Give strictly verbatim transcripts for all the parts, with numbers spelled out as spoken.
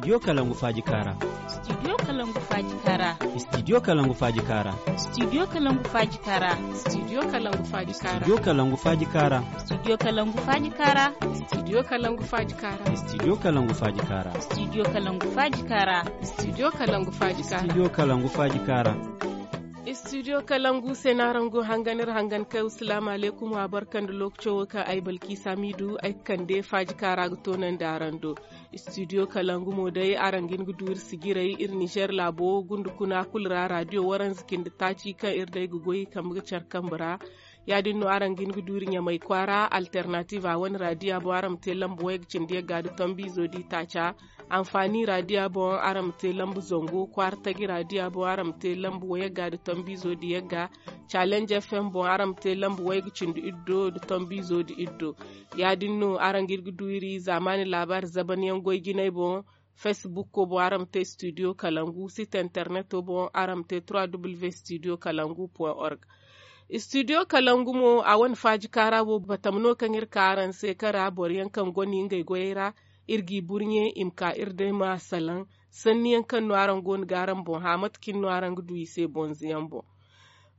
Studio Kalangu Faaji Kaara. Studio Kalangu Faaji Kaara. Studio Kalangu Faaji Kaara. Studio Kalangu Faaji Kaara. Studio Kalangu Faaji Kaara. Studio Kalangu Faaji Kaara. Studio Kalangu Faaji Kaara. Studio Kalangu Faaji Kaara. Studio Kalangu Faaji Kaara. Studio Kalangu Faaji Kaara. Studio Kalangu Faaji Kaara. Studio Kalangu Faaji Kaara. Studio Kalangu se no araŋ go hangan iri hangan kay. Salaamu alaykum, wa barka nda lookaco wo kaŋ ay Balkiisa Miidu ay ga kande Faaji Kaara ga toonandi araŋ do. Studio Kalangu mo day araŋ ga hin ga du iri sijirey iri Nizer laabo gunde kuna kulu ra raadiyo waranza cindi taaci kaŋ iri day ga goy kambe ga care kambe ra. Ya-din no araŋ ga hin ga du iri Ɲamay kwaara Alternative a wane raadiya boŋ araŋ ma te lamba wayga cindi yagga nda tombiizo d'i taaca. Anfaani raadiya boŋ araŋ ma te lamba zangu kwaara taji raadiya boŋ araŋ ma te lamba wayagga nda tombiizo nda yagga. Challenge F M boŋ araŋ ma te lamba wayga cindi iddo nda tombiizo nda iddo. Ya-din no araŋ ga iri ga du iri zaamaani laabaari zabanyaŋ goy jinay boŋ. Fesbukko boŋ araŋ ma te studio kalangu site interneto boŋ araŋ ma te trois w studio kalangu point org. Studio kalangu mo a wane faaji kaara wo batam no kaŋ iri ka araŋ se kaŋ ra boro yaŋ kaŋ goni ngey goyey ra. Iri g'i burɲe i ma ka iri day ma salaŋ sanni yaŋ kaŋ no araŋ go no ga araŋ boŋ hã mate cine no araŋ ga du i se bonze yaŋ boŋ.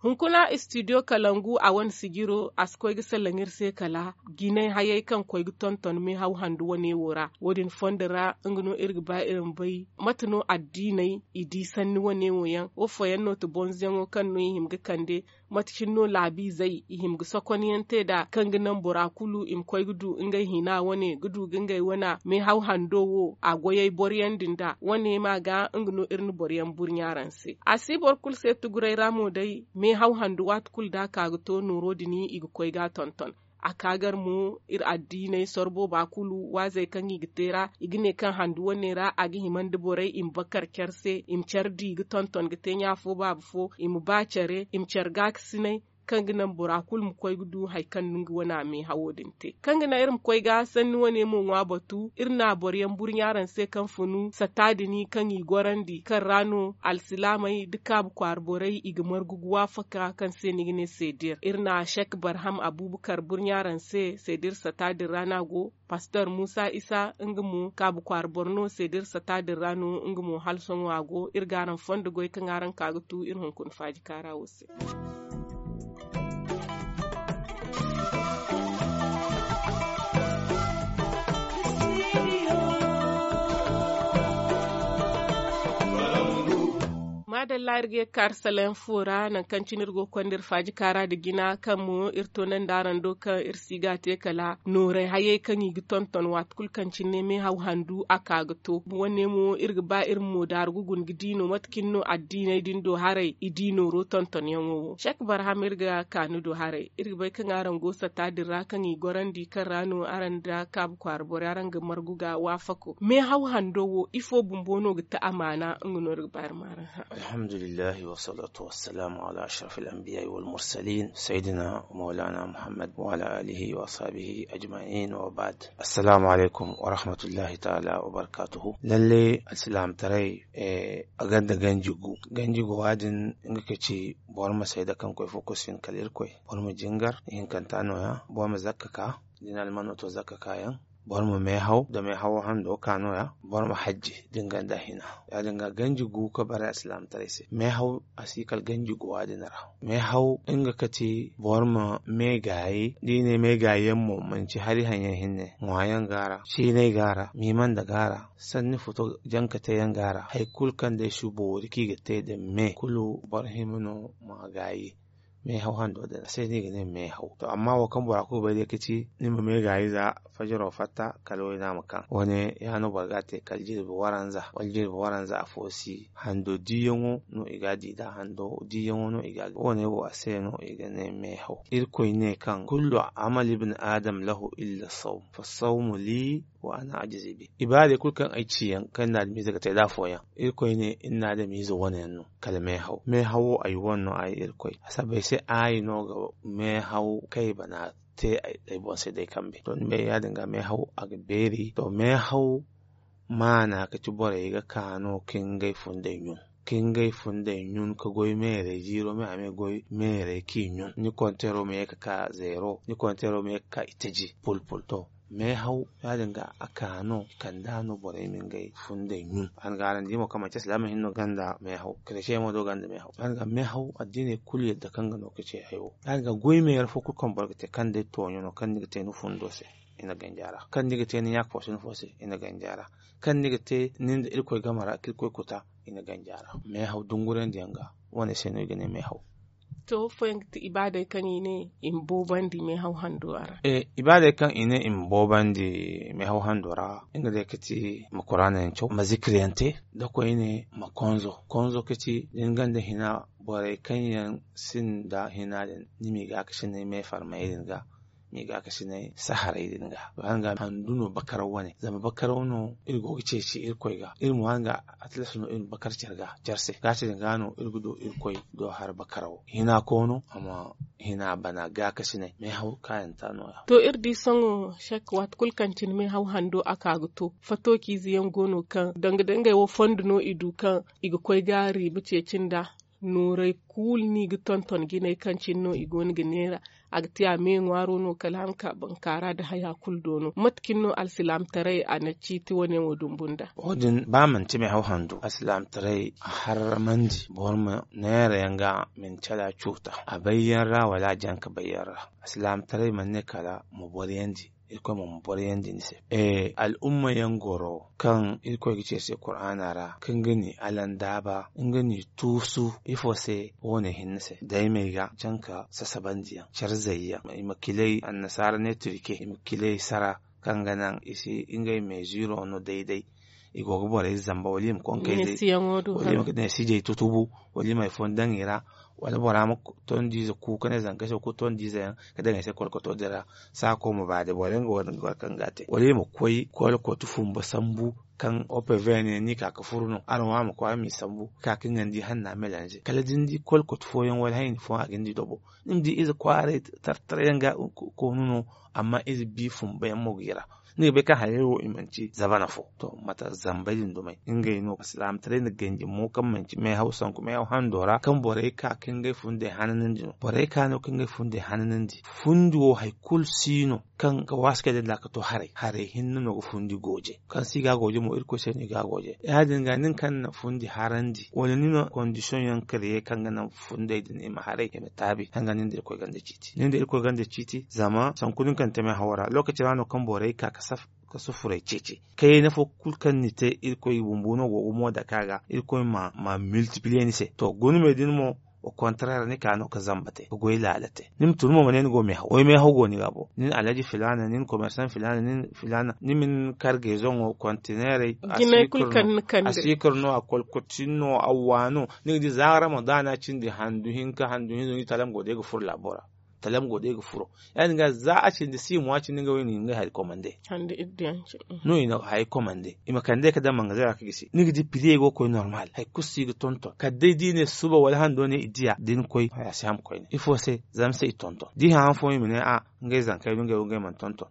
Hunkuna studio kalangu a wane sijiro a si koy ga salaŋ iri se kala jinay hayey kaŋ koy ga tonton meehaw handu wane wo ra. Wo- din fondo ra nga no iri ga ba iri ma bay mate no addiiney i di sanni wane wo yaŋ wo fooyaŋ no ti bonzeyaŋo kaŋ no i hima ga kande. Mate cine no laabiizey i hima ga sokonyaŋ te nd'a kaŋ ga naŋ bora kulu i ma koy ga du ngey hina wane ga du ga ngey wane meehaw hando wo a goyey boro yaŋ din nd'a wane ma ga nga no iri na boro yaŋ burɲa araŋ se. A si boro kulu se tuguray ra mo day meehaw handu waati kulu da a ka ga to nooro din i ga koy ga a tonton. A ka gar mo iri addiiney soro booba kulu waazey kaŋ i ga te ra i ga ne kaŋ handu wane ra a ga hima nda borey i ma bakar care se i ma care di ga tonton ga te ɲa fo baaba fo i ma ba care i ma care gaakasinay kaŋ ga naŋ bora kulu ma koy ga du hari kaŋ no nga wane a meehawo din te kaŋ ga naŋ iri ma koy ga sanni wane mo ŋwa batu iri na boro yaŋ burɲa araŋ se kaŋ funu satta din kaŋ i gorandi kaŋ ra no alsilaamey nda kaabu kwaara borey i ga margu ga waafaka kaŋ se ni ga ne seedir iri na sek barham abuubakar burɲa araŋ se seedir satta din ra no a go. Pastor muusa isa nga mo kaabu kwaara boro no seedir satta din ra no nga mo hala sohõ a go iri ga araŋ fondo goy kaŋ araŋ ka ga tu iri hunkuna faaji kaara wo se. Maadalla iri ga ye ga kaari salaŋ fo ra nangu kaŋ cine iri go ga konda iri faaji kaara nda jina kaŋ mo iri toonandi araŋ do kaŋ iri si ga a te kala nooray hayey kaŋ i ga tonton waati kulu kaŋ cine meehaw handu a ka ga to wane mo iri ga ba iri ma moodaaru ga guna ga di no mate cine no addiiney din do haray i di nooro tontonyaŋo wo sek barham iri ga ka ni do haray iri ga bay kaŋ araŋ go satta din ra kaŋ i gorandi kaŋ ra no araŋ nda kaabu kwaara borey araŋ ga margu ga waafako meehaw hando wo ifo bumbo no ga ti amaana nga no iri ga ba iri ma araŋ hã. Alhamdulillahi wassalatu wassalamu ala ashrafil anbiya wal mursalin sayyidina wa maulana muhammad wa ala alihi wa ashabihi ajma'in wa ba'd. Assalamu alaikum wa rahmatullahi ta'ala wa barakatuhu. Lalle alsilaamtaray a gonda ganji gu ganji gu waadin nga ka ci boro ma sayda kaŋ koy fo kosin kala irkoy boro ma jingar ihinkanta nooya boro ma zakka ka da ni almano to zakka kaayaŋ boro ma meehaw da meehawo hando ka nooya boro ma hajji da ni gonda hina. Ya- din ga ganji gu ka bare alsilaamtaray se meehaw a si kala ganji gu waadin ra. Meehaw nga ka ti boro ma meegaayi da i ne meegaayi yaŋ mo manci hari haŋyaŋ hinne ŋwaayaŋ go a ra ciinay go a ra miimanda go a ra sanni futo janka te yaŋ go a ra hari kulu kaŋ day si boori kaŋ i ga te nda me kulu boro hima no ma gaayi. Meehaw hando din a se no i ga ne meehaw to amma wo kaŋ bora kulu bay day ka ci ni ma meegaayi za fajaro fatta kala wayna ma kaŋ wane ya no boro ga a te kala jirbi waranza wala jirbi waranza afo si hando diiyaŋo no i ga a di nd'a hando diiyaŋo no i ga a di wane wo a se no i ga ne meehaw. Irkoy ne kaŋ kullu amal ibni adam lahu illa sawm fa sawmu li wa ana ajizi bi. Ibaadey kulu kaŋ ay ci yaŋ kaŋ ni na adamiize ga te nd'a afooyaŋ irkoy ne ni na adamiize wane yaŋ no kala meehaw meehawo ay wane no ay irkoy a sabbay se ay no ga meehaw kaŋ ay bana te ay boŋ se day kambe to ni bay ya- din ga meehaw a ga beeri to meehaw maana ka ci borey ga ka no ka ngey fundey ɲun ka ngey fundey ɲun ka goy meerey jiiro me a ma goy meerey k'i ɲun ni konteero ma ye ka ka zeero ni konteero ma ye ka ka itaji pulpul to Meehaw ya- din ga a ka no i kand'a no borey ma ngey fundey ɲun. Araŋ ga araŋ di mo kaŋ manti alsilaama hinne no gonda meehaw, kereciyey mo do gonda meehaw. Araŋ ga meehaw addiiney kulu yadda kaŋ ga no ga ce hayo. Araŋ ga goy meera fo kulu kaŋ boro ga te kaŋ day tooɲo no kaŋ ni ga te ni fundo se, i na ganji a ra. Kaŋ ni ga te ni ɲaaka fo se ni fo se, i na ganji a ra. Kaŋ ni ga te nin da irkoy game ra ka irkoy kuta, i na ganji a ra. Meehaw dungurandi yaŋ ga wane se no i ga ne meehaw. To fooyaŋ ga ti ibaadey kaŋ i ne i ma boobandi meehaw hando a ra? Ibaadey kaŋ i ne i ma boobandi meehaw hando ra, nga day ga ti ma kuraana yaŋ caw, ma zikir yaŋ te, da koyne ma konzo. Konzo ga ti da ni gonda hina, borey kaŋ yaŋ sinda hina din ni m'i gaakasinay meefarmayey din ga, m'i gaakasinay saharey din ga. Handu no bakaraw wane zama bakaraw no iri go ga ceeci irkoy ga. Iri mo araŋ ga atlas no iri ma bakar care ga care se gaati din ga no iri ga du irkoy do har bakarawo hina koono a ma hina bana gaakasinay meehaw kaayanta nooya. To iri di sohõ sek waati kulu kaŋ cine meehaw hando a ka ga to fatookiize yaŋ go no kaŋ danga dangey wo fondo no i du kaŋ i ga koy ga riiba ceeci nda nooray kulu no i ga tonton jinay kaŋ cine no i go no ga neera. A ga ti a me ŋwaaro no kala a ma ka bankaara nda haya kulu do no mate cine no alsilaamataray a na ciiti wane wo dumbu nda? Wo- din ba manti meehaw handu alsilaamataray a harramandi boro ma neera yaŋ ga ma ni cala cuuta a bayyaŋ ra wala a janka bayyaŋ ra. Alsilaamataray mana ne kala ma boryandi irkoy mo ma boryandi ni se. Al'umma yaŋ goro kaŋ irkoy ga ci iri se kuraana ra kaŋ ga ni alandaaba nga ni tuusu ifo se? Wo- ne hinne se daymey ga canka sasabandiyaŋ care zayyaŋ i ma kilay annasaara ne turke i ma kilay sara kaŋ ga naŋ i si ngey meeziro no day-day. I go ga borey zamba wala i ma konkey day wala i ma ne sijey tutubu wala i ma hari fooyaŋ daŋ i ra wala bora ma tondiize ku ka ne zankey se wa kulu tondiize yaŋ ka daŋ i se kolkoto din ra. Saako ma ba day boro yaŋ ga wara nga wara kaŋ ga a te wala i ma koy kolkoto fumba sambu kaŋ opv ne ni ka ga furu no araŋ wo a ma koy a m'i sambu ka ga nga ni di hanna melanze kala da ni di kolkoto fooyaŋ wala hayni fooyaŋ a ga ni di dobo. Ni ma di ize kwaaray tartara yaŋ ga koonu no. Amma ize bi fumba yaŋ mo ga i ra ni ga bay kaŋ hayey wo i manti zabana fo to mate zambey din dumey ngey no alsilaamataray na ganji mo kaŋ manti meehaw sanku meehaw hando ra kaŋ borey ka ka ngey fundey hananandi no borey ka no ka ngey fundey hananandi. Fundi wo hari kulu si no kaŋ ga waasi kay day nda a ga to haray haray hinne no ga fundi gooje kaŋ si ga gooje mo irkoy se no i ga gooje ya- din ga nin kaŋ na fundi harandi wala ni na kondisiyoŋ yaŋ kare ye kaŋ ga naŋ fundey din i ma haray i ma taabi kaŋ ga nin da irkoy ganda ciiti nin da irkoy ganda ciiti zama sanku din kaŋ ni te meehawo ra lookaci ra no kaŋ borey ka ga saf ka sufuray ceeci kayna fo kulu kaŋ ni te irkoy bumbo no go ga mo dake a ga irkoy ma miltipliye ni se to guna me din mo. Au kontareer ni ka no ga zamba te ga goy laala te ni ma tun mo ma ne ni go meehaw wala meehaw go ni ga bo nin alhaji filaana nin komersan filaana nin filaana ni ma ni kar geezoŋo kontineerey a siikir no a kolkotin no a waano. Ni ga di za ramadaana cindi handu hinka handu hinza ni talam go day ga furo laabo ra. Talam go day ga furo ya- din ga za a cindi si mo a cindi nga wo i na ngey hari komande. No i na hari komande i ma kande ka daŋ mangazey ra ka gisi ni ga di piriyey go ga koy normal hari kulu si ga tonton kala day da i ne suba wala hando ne i diya da ni koy haya si ham koyne ifo se zama se i tonton da i hã han fooyaŋ i ma ne a ngey zankey no ngey wo ngey mana tonton.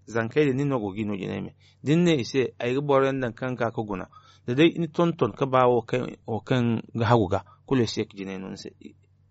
Zankey din nin no go ga i no jinay me da ni ne i se ay ga boro yaŋ daŋ kaŋ ga ka ka guna da day ni tonton ka ba wo kaŋ ga hagu ga kulu ay si ye ka jinay no ni se.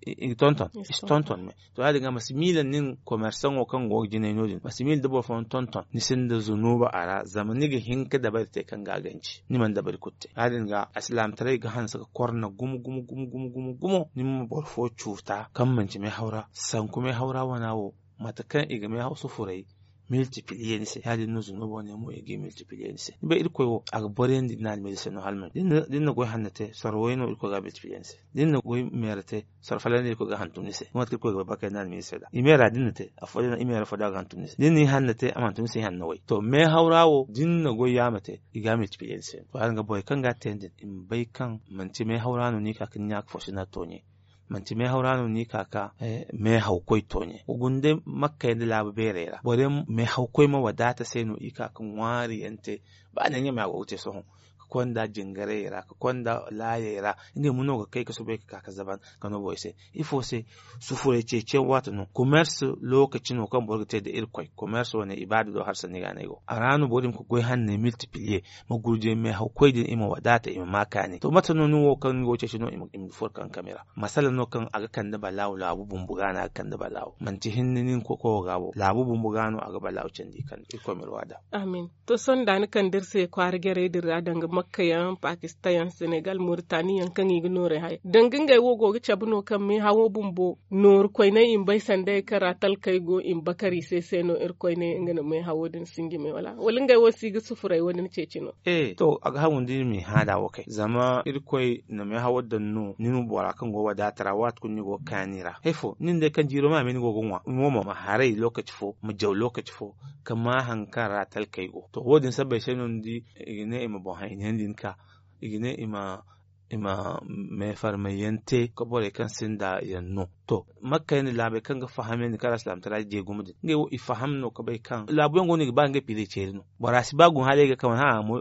I ga tonton i si tonton me to ya- din ga ma si miila nin komersaŋo kaŋ go ga jinay no- din ma si miila da boro fooyaŋ tonton ni sinda zunuuba a ra zama ni ga hin ka dabari te kaŋ ga a ganji ni mana dabari kulu te ya- din ga alsilaamataray ga hanse ga korna gumo gumo gumo gumo gumo ni ma boro fo cuuta kaŋ manci meehaw ra sanku meehaw ra wana wo mate kaŋ i ga meehaw sufuray miltipliye ni se ya- din no zunuubo ne mo i g'i miltipliye ni se ni bay irkoy wo a ga boryandi ni almiiza se no hala ma ni da ni na goy hanna te sorro way no irkoy ga a miltipliye ni se da ni na goy meera te sorro fallan no irkoy ga a hantum ni se ni mate kaŋ irkoy ga bay bakay ni almiiza se da i meera da ni na te afo day no i meera fo da a ga hantum ni se da ni na i hanna te a ma hantum ni se i hanna way to meehaw ra wo da ni na goy yaama te i ga a miltipliye ni se to ya- din ga borey kaŋ ga a te din i ma bay kaŋ manti meehaw ra no ni ka ka ni ɲaaka fo si na tooɲe. Manti meehaw ra no ni ka ka meehawkoy tooɲe wa guna day makkey nda laabu beerey ra boro yaŋ meehawkoy ma wadaata se no i ka ka ŋwaari yaŋ te. Ba ne ɲamay a go ga te sohõ ka konda jingarayey ra, ka konda laayey ra. Ngey mo no ga kay ka soobay ka ka ka zaban ka no borey se. Ifo se? Sufuray ceeciyaŋ waati no. Komers lookaci no kaŋ boro ga te nda irkoy. Komers wane ibaada do harsa ni ga no ay go a ra no boro din ga goy hanney miltipiliye, ma gurjay meehaw koy din i ma wadaata i ma ma kaani to mate no ni wo kaŋ ni go ceeci no i ma furo kankami ra. Masala no kaŋ a ga kande balaawo laabu bumbo ga no a ga kande balaawo manti hinne ni ni koy koyo ga bo laabu bumbo ga no a ga balaawo candi kande irkoy ma iri waada. Amin. To sohõ da ni kande iri se kwaara jarey din ra danga makka yaŋ pakistan yaŋ senegal moritani yaŋ kaŋ i ga nooray haya danga ngey wo go ga cabe no kaŋ meehawo bumbo nooru koyney i ma bay sanda hari kaŋ ra talkey go i ma bakar i se se no iri koyney nga na meehawo din sinji me wala wala ngey wo si ga sufuray wo- din ceeci no? E to a ga hagu nda iri ma i haada wo kay zama irkoy na meehawo daŋ no ni ma bora kaŋ go wadaata ra waati kulu ni go ga kaani ra hari fo nin day kaŋ jiiro ma a me ni go ga ŋwa ni mo ma haray lookaci fo ma jaw lookaci fo ka ma hari kaŋ ra talkey go to wo- din sabbay se no ni di i ga ne i ma boŋ haynayandi ni ka i ga ne i ma meefarmay yaŋ te ka borey kaŋ sinda yaŋ no. To makka yaŋ din laabey kaŋ ga fahamyandi kaŋ ra silaamataray jeegumo din ngey wo i faham no ka bay kaŋ laabu yaŋ go no i ga ba ngey piiley ceeri no. Bora si ba gun hala i ga kaŋ wane haŋ a mo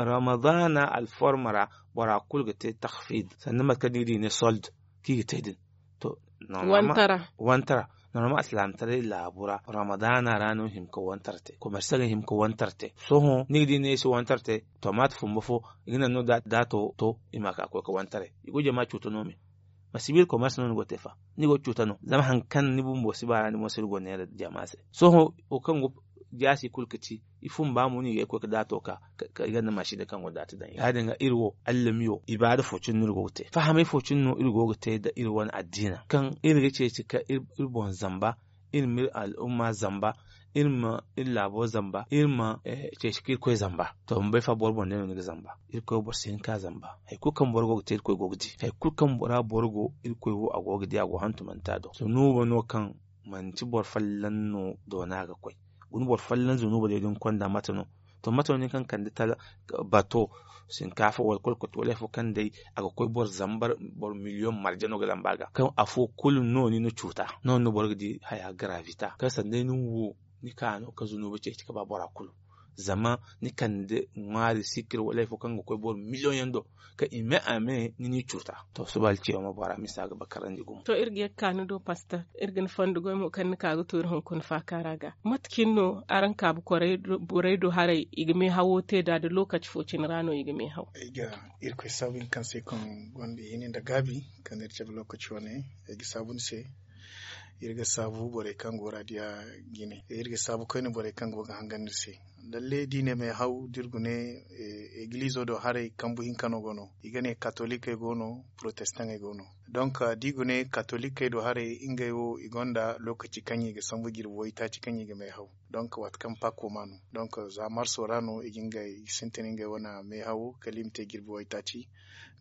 ramadaana alforma ra bora kulu ga te tahfid sanda mate kaŋ ni ga di i ne sold kaŋ i ga te din. To wantara wantara normal alsilaamataray laabu ra ramadaana ra no hima ka wantar te komersa ga hima ka wantar te. Sohõ ni ga di ne i si wantar te tomaat fumbo fo i ga naŋ no daato to i ma ka koy ka wantaray i go jama cuuta no me. Masiba iri komersa no ni go te fa ni go cuuta no zama hari kaŋ ni bumbo si ba ra ni mo si iri go neera jama se. Sohõ wo kaŋ go jaasi kulu ga ci i fumba mo no i ga ay koy ga daato ka i ganda maasine kaŋ go daati daŋ ya- din ga iri wo allamiyo ibaada fo cine no iri go ga te fahamay fo cine no iri go ga te nda iri wane addiina kaŋ iri ga ceeci ka iri boŋ zamba iri ma iri al'umma zamba iri ma iri laabo zamba iri ma ceeci ka irkoy zamba. To ma bay fa boro boŋ day no ni ga zamba irkoy wo boro si hin ka zamba. Hari kulu kaŋ boro go ga te irkoy go ga di hari kulu kaŋ ra boro go irkoy wo a go ga di a go hantumanta do zunuuba no kaŋ manti boro folloŋ no doona ga koy. Guna boro folloŋ zunuuba day da ni konda mate no? To mate no nin kaŋ kande bato sinkaafa wala kolkoti wala hari fo kaŋ day a ga koy boro zambar boro miliyoŋ marje no ga zamba a ga kaŋ afo kulu no ni na cuuta. No- din no boro ga di haya garavita kaŋ sanda day ni wo ni ka no ka zunuuba ceeci ka ba bora kulu. Zama ni kande ŋwaari sikir wala hari fo kaŋ ga koy boro miliyoŋ yaŋ do kaŋ i me a me ni n'i cuuta. To suba alciyaama bora misa ga bakarandi gumo. To iri ga ye ga ka ni do pastor iri ga ni fondo goy mo kaŋ ni ka ga to iri hunkuna faakaara ga mate cine no araŋ kaabu borey do haray i ga meehawo te nd'a nda lookaci fo cine ra no i ga meehaw? Ay ga irkoy saabu hinka kaŋ se kaŋ gonda hini nda gaabi kaŋ iri cabe lookaci wane. Ay ga saabu ni se. Iri ga saabu borey kaŋ go raadiya jine iri ga saabu koyne borey kaŋ go ga hangan iri se. Lalle da i ne meehaw da iri gune egilizo do haray kambu hinka no go no i ga ne katolikey go no protestaŋey go no. Donk da i gune katolikey do haray ngey wo i gonda lookaci kaŋ i ga sambu jirbi waytaaci kaŋ i ga meehaw. Donk waati kaŋ paako ma no donk za marso ra no i ga sintin ngey wane meehawo kala i ma te jirbi waytaaci.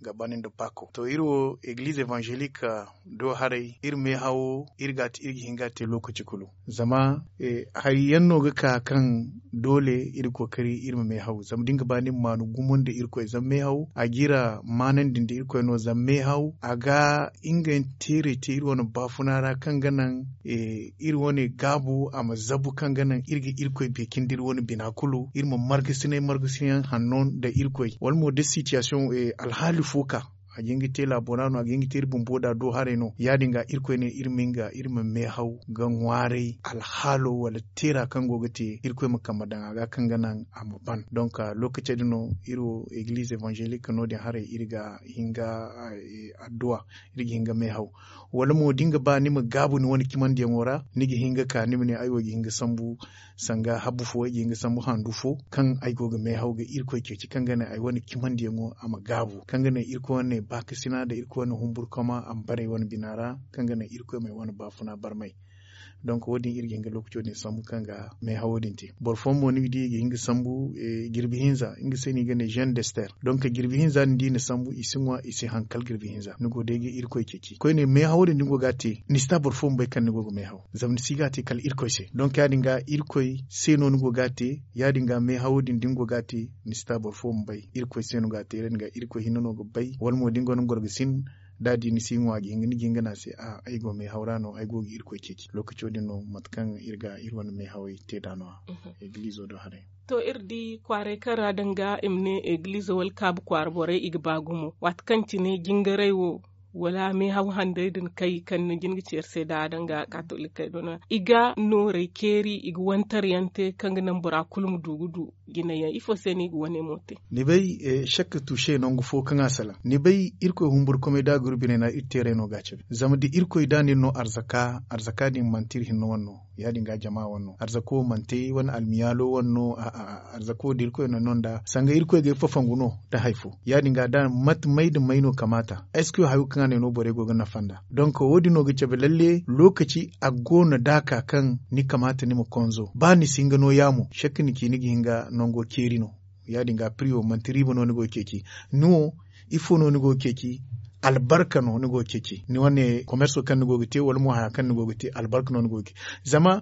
Ga banda nda paako to iri wo egiliz evanzelik do haray iri meehawo iri ga hin ga te lookaci kulu. Zama hari yaŋ no ga ka kaŋ doole iri kookari iri ma meehaw zama da ni ga ba ni ma maanu gumo nda irkoy zama meehaw a ga iri maanandi nda irkoy no zama meehaw a ga ngey teeray te iri wane baafuna ra kaŋ ga naŋ iri wane gaabu a ma zabu kaŋ ga naŋ iri ga irkoy beekin da iri wane bina kulu iri ma margasinay margasinay yaŋ hanno nda irkoy wala mo da sitiyasiyoŋ alhaali fo ka a ga hin ga te laabo ra no a ga hin ga te iri bumbo da do haray no ya- din ga irkoy ne iri ma hin ga iri ma meehaw ga ŋwaaray alhaalo wala teera kaŋ go ga te irkoy ma kambe daŋ a ga kaŋ ga naŋ a ma ban donk lookaci din no iri wo egiliz evanzelik no- din haray iri ga hin ga adduwa iri ga hin ga meehaw. Wala mo da ni ga ba ni ma gaabu ni wane cimandiyaŋo ra ni ga hin ga ka ni ma ne ay wo ga hin ga sambu sanga habbu fo ay ga hin ga sambu handu fo kaŋ ay go ga meehaw ga irkoy ceeci kaŋ ga ne ay wane cimandiyaŋo a ma gaabu kaŋ ga ne irkoy wane baakasina nda irkoy wane humburkama a ma bare ay wane bina ra kaŋ ga ne irkoy ma ay wane baafuna barmay. Donk wo- din iri ga hin ga lookaco din sambu kaŋ ga meehawo din te boro fooyaŋ mo ni ga di i ga hin ga sambu jirbi hinza nga se no i ga ne jeune d'ester donk jirbi hinza din da i na sambu i si ŋwa i si haŋ kala jirbi hinza ni go day ga irkoy ceeci koyne meehawo din da ni go ga a te ni si ta boro fo ma bay kaŋ ni go ga meehaw zama ni si ga a te kala irkoy se donk ya- din ga irkoy se no ni go ga a te ya- din ga meehawo din da ni go ga a te ni si ta boro fo ma bay irkoy se no ga a te ya- din ga irkoy hinne no ga bay wala mo da ni go no ni gorgasin da a di ni si ŋwa ga hinga ni ga hinga ne a se a ay go meehaw ra no ay go ga irkoy ceeci lookaco din no mate kaŋ iri ga iri wane meehawey te nd'a no- ya. Egilizo do haray. To iri di kwaaray kaŋ ra danga i ma ne egilizo wala kaabu kwaara borey i ga ba gumo waati kaŋ cine jingaray wo wala meehaw handay din kay kaŋ ni jin ga ci iri se nd'a danga katolikey do no- ya i ga nooray ceeri i ga wantar yaŋ te kaŋ ga naŋ bora kulu ma du ga du jinay yaŋ ifo se no i ga wane mo te? Ni bay, sakka tuuse nangu fo kaŋ a salaŋ ni bay irkoy humburkumay da a ga iri biney no iri teeray no ga a cabe zama da irkoy da nin no arzaka arzaka din manti iri hinne wane no ya- din ga jama wane no arzako manti wane almiyaalo wane no arzako da irkoy na no nd'a sanga irkoy ga ay fafangu no nda hari fo ya- din ga da mate may nda may no kamaata? Eske hayo kaŋ a ne no borey go ga nafa nd'a donk wo- din no ga cabe lalle lookaci a go no da a ka kaŋ ni kamaata ni ma konzo ba ni si hin ga no yaamo sakka ni ci ni ga hin ga nango ceeri no ya- din ga piri wo manti riiba no ni go ga ceeci ni wo ifo no ni go ga ceeci albarka no ni go ga ceeci ni wane komerso kaŋ ni go ga te wala mo haya kaŋ ni go ga te albarka no ni go ga ceeci zama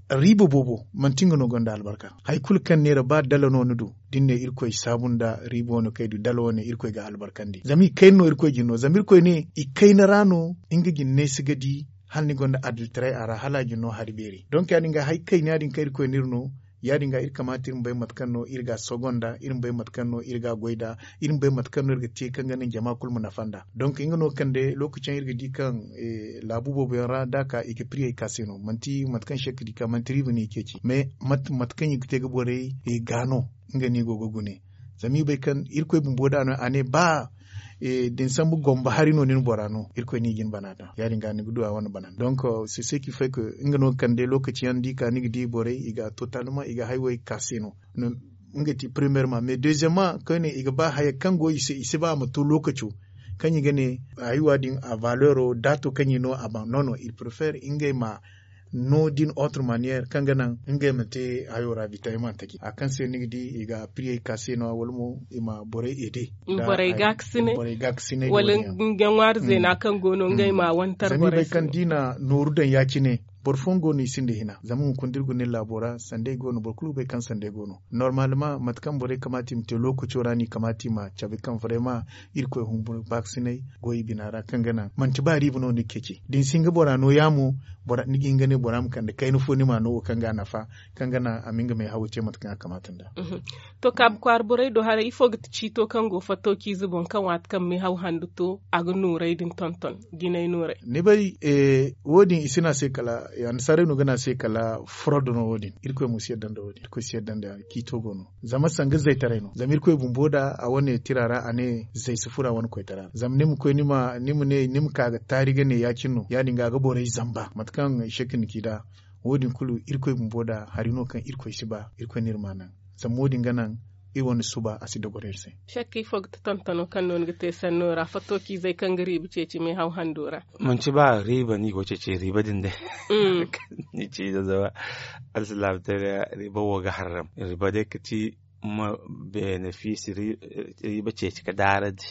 riiba boobo manti nga no gonda albarka hari kulu kaŋ neera ba dala no ni du da ni ne irkoy saabu nda riiba wane kaŋ ay du dala wane irkoy ga albarkandi zama i kayna no irkoy jine no zama irkoy ne i kayna ra no nga jine ne si ga di hala ni gonda adiltaray a ra hala a jine no hari beeri donk ya- din ga hari kayna ya- din kaŋ irkoy no iri no ya- din ga iri kamaata iri ma bay mate kaŋ no iri ga a sogo nd'a iri ma bay mate kaŋ no iri ga a goy nd'a iri ma bay mate kaŋ no iri ga te kaŋ ga naŋ jama kulu ma nafa nd'a donk nga no ga kande lookaci yaŋ iri ga di kaŋ laabu boobo yaŋ ra da a ka i ga piriyey ka se no manti mate kaŋ se ga di ka manti riiba no i ceeci mais mate kaŋ i ga te ga borey ga no nga no i go ga gune zama i bay kaŋ irkoy bumbo da no a ne ba da ni sambu gomba hari no ni na bora no irkoy no i ga ni bana daŋ ya- din ga ni ga du a wane bana donk se se ki fay ka nga no ga kande lookaci yaŋ da i ka ni ga di borey i ga totalma i ga haywey ka se no nga ti premierement mais deuxièmement koyne i ga ba haya kaŋ go i se i si ba a ma to lookaco kaŋ i ga ne haywa din a valeuro daato kaŋ i no a ban non non il préfère ngey ma no din autre manière kaŋ ga naŋ ngey ma te hayo ra bitayaman taki a kaŋ se ni ga di i ga piriyey ka se no wala mo i ma borey ede borey ga ga sinay wala nga ŋwaari zeena kaŋ go no ngey ma wantar borey se kaŋ di na nooru daŋ ya- cine boro fooyaŋ go no i sinda hina zama hunkuna da iri guna iri laabo ra sanday go no boro kulu ga bay kaŋ sanday go no normalement mate kaŋ borey kamaata i ma te lookaco ra no i kamaata i ma cabe kaŋ vraiment irkoy humburu baakasinay go i bina ra kaŋ ga naŋ manti ba riiba no ni ga ceeci da ni si hin ga bora no yaamo ni ga hin ga ne bora ma kande kayna fo ni ma no wo kaŋ ga a nafa kaŋ ga naŋ a ma nga may hawo te mate kaŋ a kamaata nd'a. To kaabu kwaara borey do haray ifo ga ti ciito kaŋ go fattociize boŋ kaŋ waati kaŋ meehaw handu to a ga nooray din tonton jinay nooray? Ni bay wo- din i si ne a se kala annasaarey no ga ne a se kala frod no wo- din irkoy mo si yadda nda wo- din irkoy si yadda nda ciito go no zama sanga zaytaray no zama irkoy bumbo da a wane tira ra a ne zay si furo a wane koytara ra zama ni ma koy ni ma ne ni ma ka ga taari ga ne ya- cine no ya- din ga a ga borey zamba mate kaŋ i se ga ni ci nd'a wo- din kulu irkoy bumbo da hari no kaŋ irkoy si ba irkoy no iri ma a naŋ zama wo- din ga naŋ iri wane suba a si dogoro iri se. Shakka ifo ga ti tontono kaŋ no ni ga te sanno ra fattociizey kaŋ ga riiba ceeci meehaw hando ra? Manti ba riiba no i go ga ceeci riiba din day. Ni ci da zama alsilaamataray ra riiba wo ga harram riiba day ga ti ma benefiisi riiba ceeci ga daarandi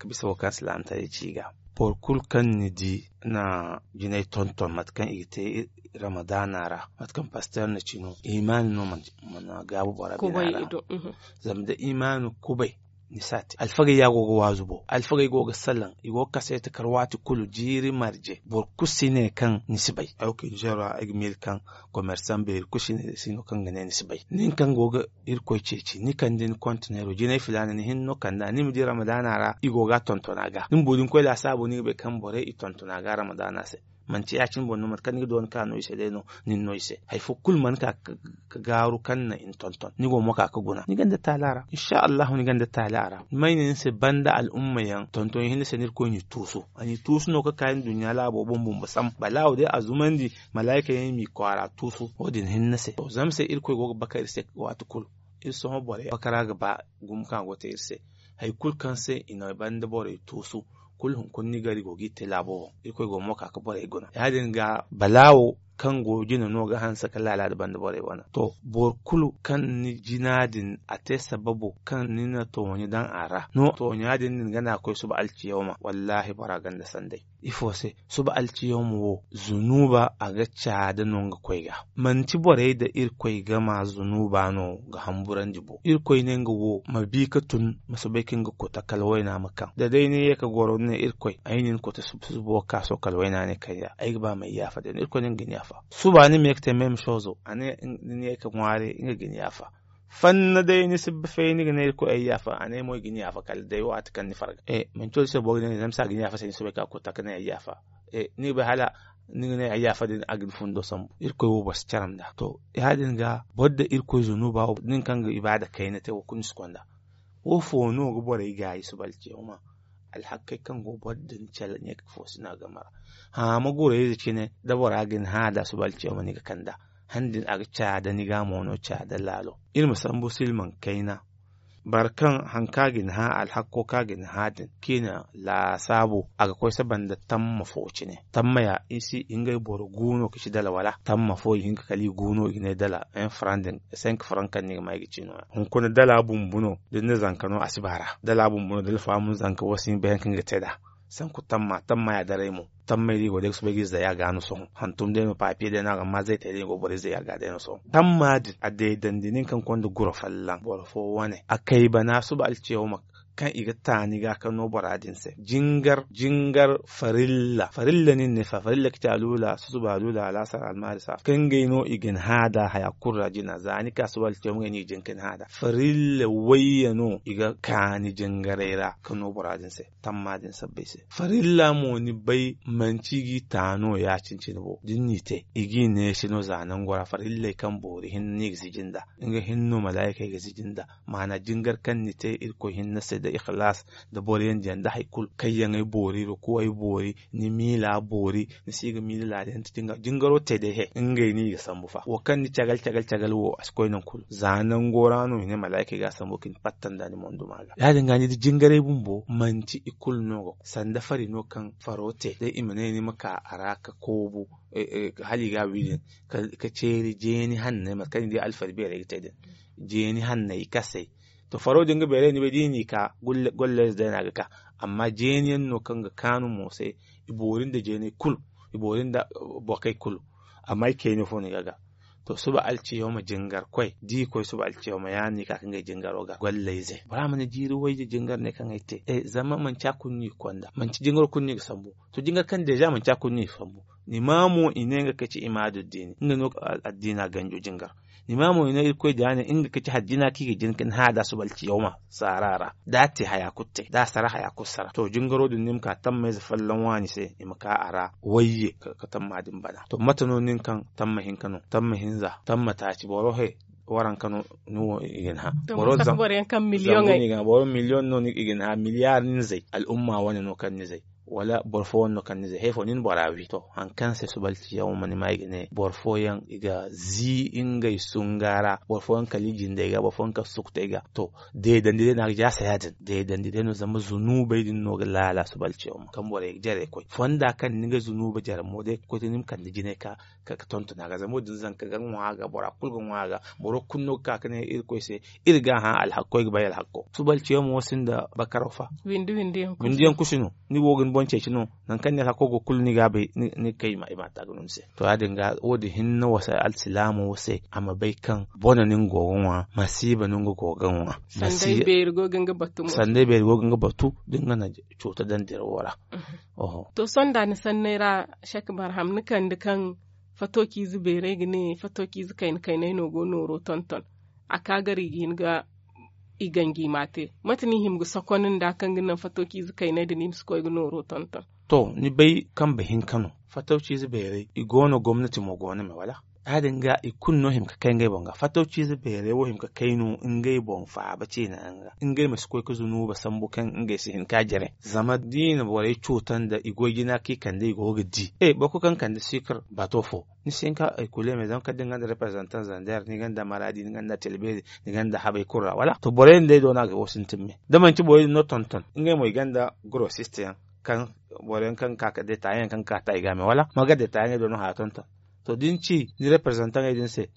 bisa wo kaŋ alsilaamataray ci ga boro kulu kaŋ ni di na jinay tonton mate kaŋ i ga te ramadaana ra mate kaŋ pasteer na ci no imaani no mana gaabu bora bina ra. Zama da imaani kubay ni si a te alfagey ya go ga waazu bo alfagey go ga salaŋ i go ga kaseeti kar waati kulu jiiri marje boro kulu si ne kaŋ ni si bay ay wo kay nizeer ra ay ga miila kaŋ komersaŋ beeri kulu si no kaŋ ga ne ni si bay nin kaŋ go ga irkoy ceeci ni kande ni kontineero jinay filaana ni hinne no kand'a ni ma di ramadaana ra i go ga a tonton a ga ni ma boori ni koy laasaabo ni ga bay kaŋ borey i tonton a ga ramadaana se. Manti ya- cine boŋ no mate kaŋ ni ga doona ka no i se day no nin no i se hari fo kulu mana ka ga gaaru kaŋ na i na tonton ni go mo ka ga guna ni gonda taali a ra insa allahu ni gonda taali a ra may ne ni se banda al'umma yaŋ tonton yaŋ hinne se no irkoy n'i tuusu a n'i tuusu no ga ka nduɲɲa laabo boŋ bumbo sam balaawo day a zumandi malaayika yaŋ i m'i kwaara tuusu wo- din hinne se to zama se irkoy go ga bakar iri se waati kulu iri sohõ borey bakara ga ba gumo kaŋ a go ga te iri se hari kulu kaŋ se i na banda borey tuusu kulu hunkuna ni gari go g'i te laabo boŋ irkoy go mo ka ga borey guna ya- din ga balaawo kaŋ go jine no ga hanse kala laala da banda borey wane to boro kulu kaŋ ni jina din a te sababo kaŋ ni na tooɲe daŋ a ra no tooɲa din din ga na koy suba alciyawma wallaahi bora gonda sanday. Ifo se? Suba alciyawma wo zunuba a ga caada no nga koy ga. Manti borey da irkoy gama zunuba no ga hamburandi bo. Irkoy ne nga wo ma bi ka tun, ma soobay ka nga kota kala wayna ma kaŋ da day ni ye ka goro ni ne irkoy ay na ni kota suba suba wo ka so kala wayna ne kayya ay ga ba ma ay yaafa day no irkoy ne nga ga ni yaafa. Suba ni ma ye ka te même chose a ne ni ye ka ŋwaari nga ga ni yaafa. Fanna day ni si ba fay ni ga ne irkoy ay yaafa a ne mo ay ga ni yaafa kala day waati kaŋ ni farga. Manti wo din se boro ga ne zama si a ga ni yaafa se ni soobay ka kota ka ne ay yaafa. Ni ga bay hala ni ga ne ay yaafa din a ga ni fundo sambu irkoy wo boro si caram nd'a to. Ya- din ga boro da irkoy zunuba wo nin kaŋ ga ibaada kayna te wo kulu ni si konda. Wo fo no ga borey gaayi suba alciyawma? Alhakkey kaŋ go boro din cala ɲeeka fo si no a game ra. Hã ma gurayze cine da bora ga ni hã da suba alciyawma ni ga kand'a. Hã din a ga caada ni ga mo no caada laalo. Iri ma sambu silmaŋ kayna. Boro kaŋ haŋ kaŋ a ga ni hã alhakko kaŋ a ga ni hã din kaŋ i na laasaabu a ga koy saba nda tamma fo cine. Tamma ya i si ngey boro gu no ka ci dala wala tamma fo i hinka kala i gu no i ga ne dala. Cinq franc kaŋ ni ga ma i ga ci nooya hunkuna dala bumbu no. Da ni na zanka no a si ba ra dala bumbu no da alfaamu zanka wo si hin bay hari kaŋ ga te nd'a. Sanku tamma tamma ya daray mo. Tammey da i go day ga soobay ga i zay a ga no sohõ hantum day no papiye day no a ga ma zay te day i go borey zay a ga day no sohõ. Tamma din a deedandi nin kaŋ konda guro folloŋ boro fo wane a kay bana suba alciyawma kaŋ i ga taani ga ka no bora din se jingar jingar farilla farilla nin ne fa farilla ga ci alula susuba alula alaasar almaari saafa kaŋ ngey no i ga ni hã da haya kulu ra jina za ni ka suba alciyawma ngey no i ga jin ka ni hã da farilla wayye no i ga kaani jingaray ra ka no bora din se. Tamma din sabbay se farilla mo ni bay manci i g'i ta no ya- cine-cine bo da ni n'i te i g'i neesi no za nango ra farilley kaŋ boori hinne no i ga sijin nd'a. Nga hinne no malaayikey ga sijin nd'a maana jingar kaŋ ni te irkoy hinne se nda ihilaas nda boro yaŋ diyaŋ nda hari kulu kayyaŋey boori rukuwey boori ni miila boori ni si ga miila laada yaŋ ti jingaro te day he ngey no i ga sambu fa wo kaŋ ni cagal cagal cagal wo a si koy nangu kulu za nango ra no i ne malaayikey ga a sambu ka ni patta nda ni monduma ga ya- din ga ni di jingarey bumbo manti i kulu no ga koy sanda fari no kaŋ faro te day i ma ne ni ma ka a ra ka koobu hala i ga a wi din ka ceeri jeeni hanney mate kaŋ ni di alfari beerey ga te din jeeni hanney i kasey. To faro din ga beerey ni bay da i n'i ka golley ze day no a ga ka amma jeeni yaŋ no kaŋ ga kaanu mo se i boori nda jeeney kulu i boori nda bokey kulu. Amma i kayne fo no i ga ga to suba alciyawma jingar koy da i koy suba alciyawma ya- din no i ka ka ngey jingaro ga gollayze bora ma ne jiiri wayye jingar ne kaŋ ay te zama manci a kulu no i ga konda manci jingaro kulu no i ga sambu. To jingar kaŋ deeza manci a kulu no i ga sambu. Ni ma mo i ne nga ka ci imaadu diini nga no addiina ganjo jingar. Ni ma mo i ne irkoy da ya ne nga ka ci haddina kaŋ i ga jin ka ni hã da suba alciyawma saara ra da a te haya kulu te da a sara haya kulu sara to jingaro din ni ma ka tammayze folloŋ waani se i ma ka a ra wayye ka tamma din bana to mate no nin kaŋ tamma hinka no tamma hinza tamma taaci boro he waranka no ni wo i ga ni hã. Boro zambu no i ga ni hã boro miliyoŋ no i ga ni hã miliyaari ni zay al'umma wane no kaŋ ni zay wala boro fo wane no kaŋ ni zay hari fo ni na bora wi to hari kaŋ se suba alciyawma ni ma i ga ne boro fooyaŋ i ga zii ngey sunga ra boro fooyaŋ kala i jindey ga boro fooyaŋ kala sukutey ga to deedandi day no a ga jaasa ya- din deedandi day no zama zunubey din no ga laala suba alciyawma kaŋ borey ga jarey koy fonda kaŋ ni ga zunuba jare mo day ga koy te ni ma kande jinay ka ka tonton a ga zama wo- din zanka ga ŋwa a ga bora kulu ga ŋwa a ga boro kulu no ga ka ga ne irkoy se iri ga a hã alhakko ay ga bay alhakko suba alciyawma wo sinda bakaraw fa. Windi yaŋ kusi no ni go ga ni boŋ ceeci no nangu kaŋ ni alhakko go kulu ni ga a bay ni ga kay i ma a taaka no ni se to ya- din ga wo- din hinne wo se alsilaamo wo se a ma bay kaŋ bone no nga go ga ŋwa masiiba no nga go ga ŋwa. Sanday beeri go ga nga batu da nga na cuuta daŋ dirawo ra. To sohõ da ni sanney ra sek barham ni kande kaŋ fato ciize beerey ga ne fato ciize kayna kaynay no go nooro tonton a ka gar i ga hin ga i ganji ma te mate no i hima ga sokon nda kaŋ ga naŋ fato ciize kaynay din i ma si koy ga nooro tonton? To ni bay kambe hinka no fato ciize beerey i go no gomnati mo go no me wala? Ya- din ga i kulu no hima ga kay ngey boŋ ga fato ciize beerey wo hima ga kay no ngey boŋ faaba ciina yaŋ ga ngey ma si koy ga zunuba sambu kaŋ ngey si hin ga a jare zama da i na borey cuuta nda i goy jina kaŋ i kande i go ga di boro kulu kaŋ kande sikir bato fo ni si hin ka ay kule me zama kala da ni gonda representant zander ni gonda maradi ni gonda tilberi ni gonda habay kulu ra wala to borey din day do no a ga wo sintin me da manti borey din no tonton ngey mo i gonda grossiste yaŋ kaŋ boro yaŋ kaŋ ga ka ka detaye yaŋ kaŋ ga ka ta i ga me wala ma ga detaye yaŋ do no haya tonton. To da ni ci ni representant ey din se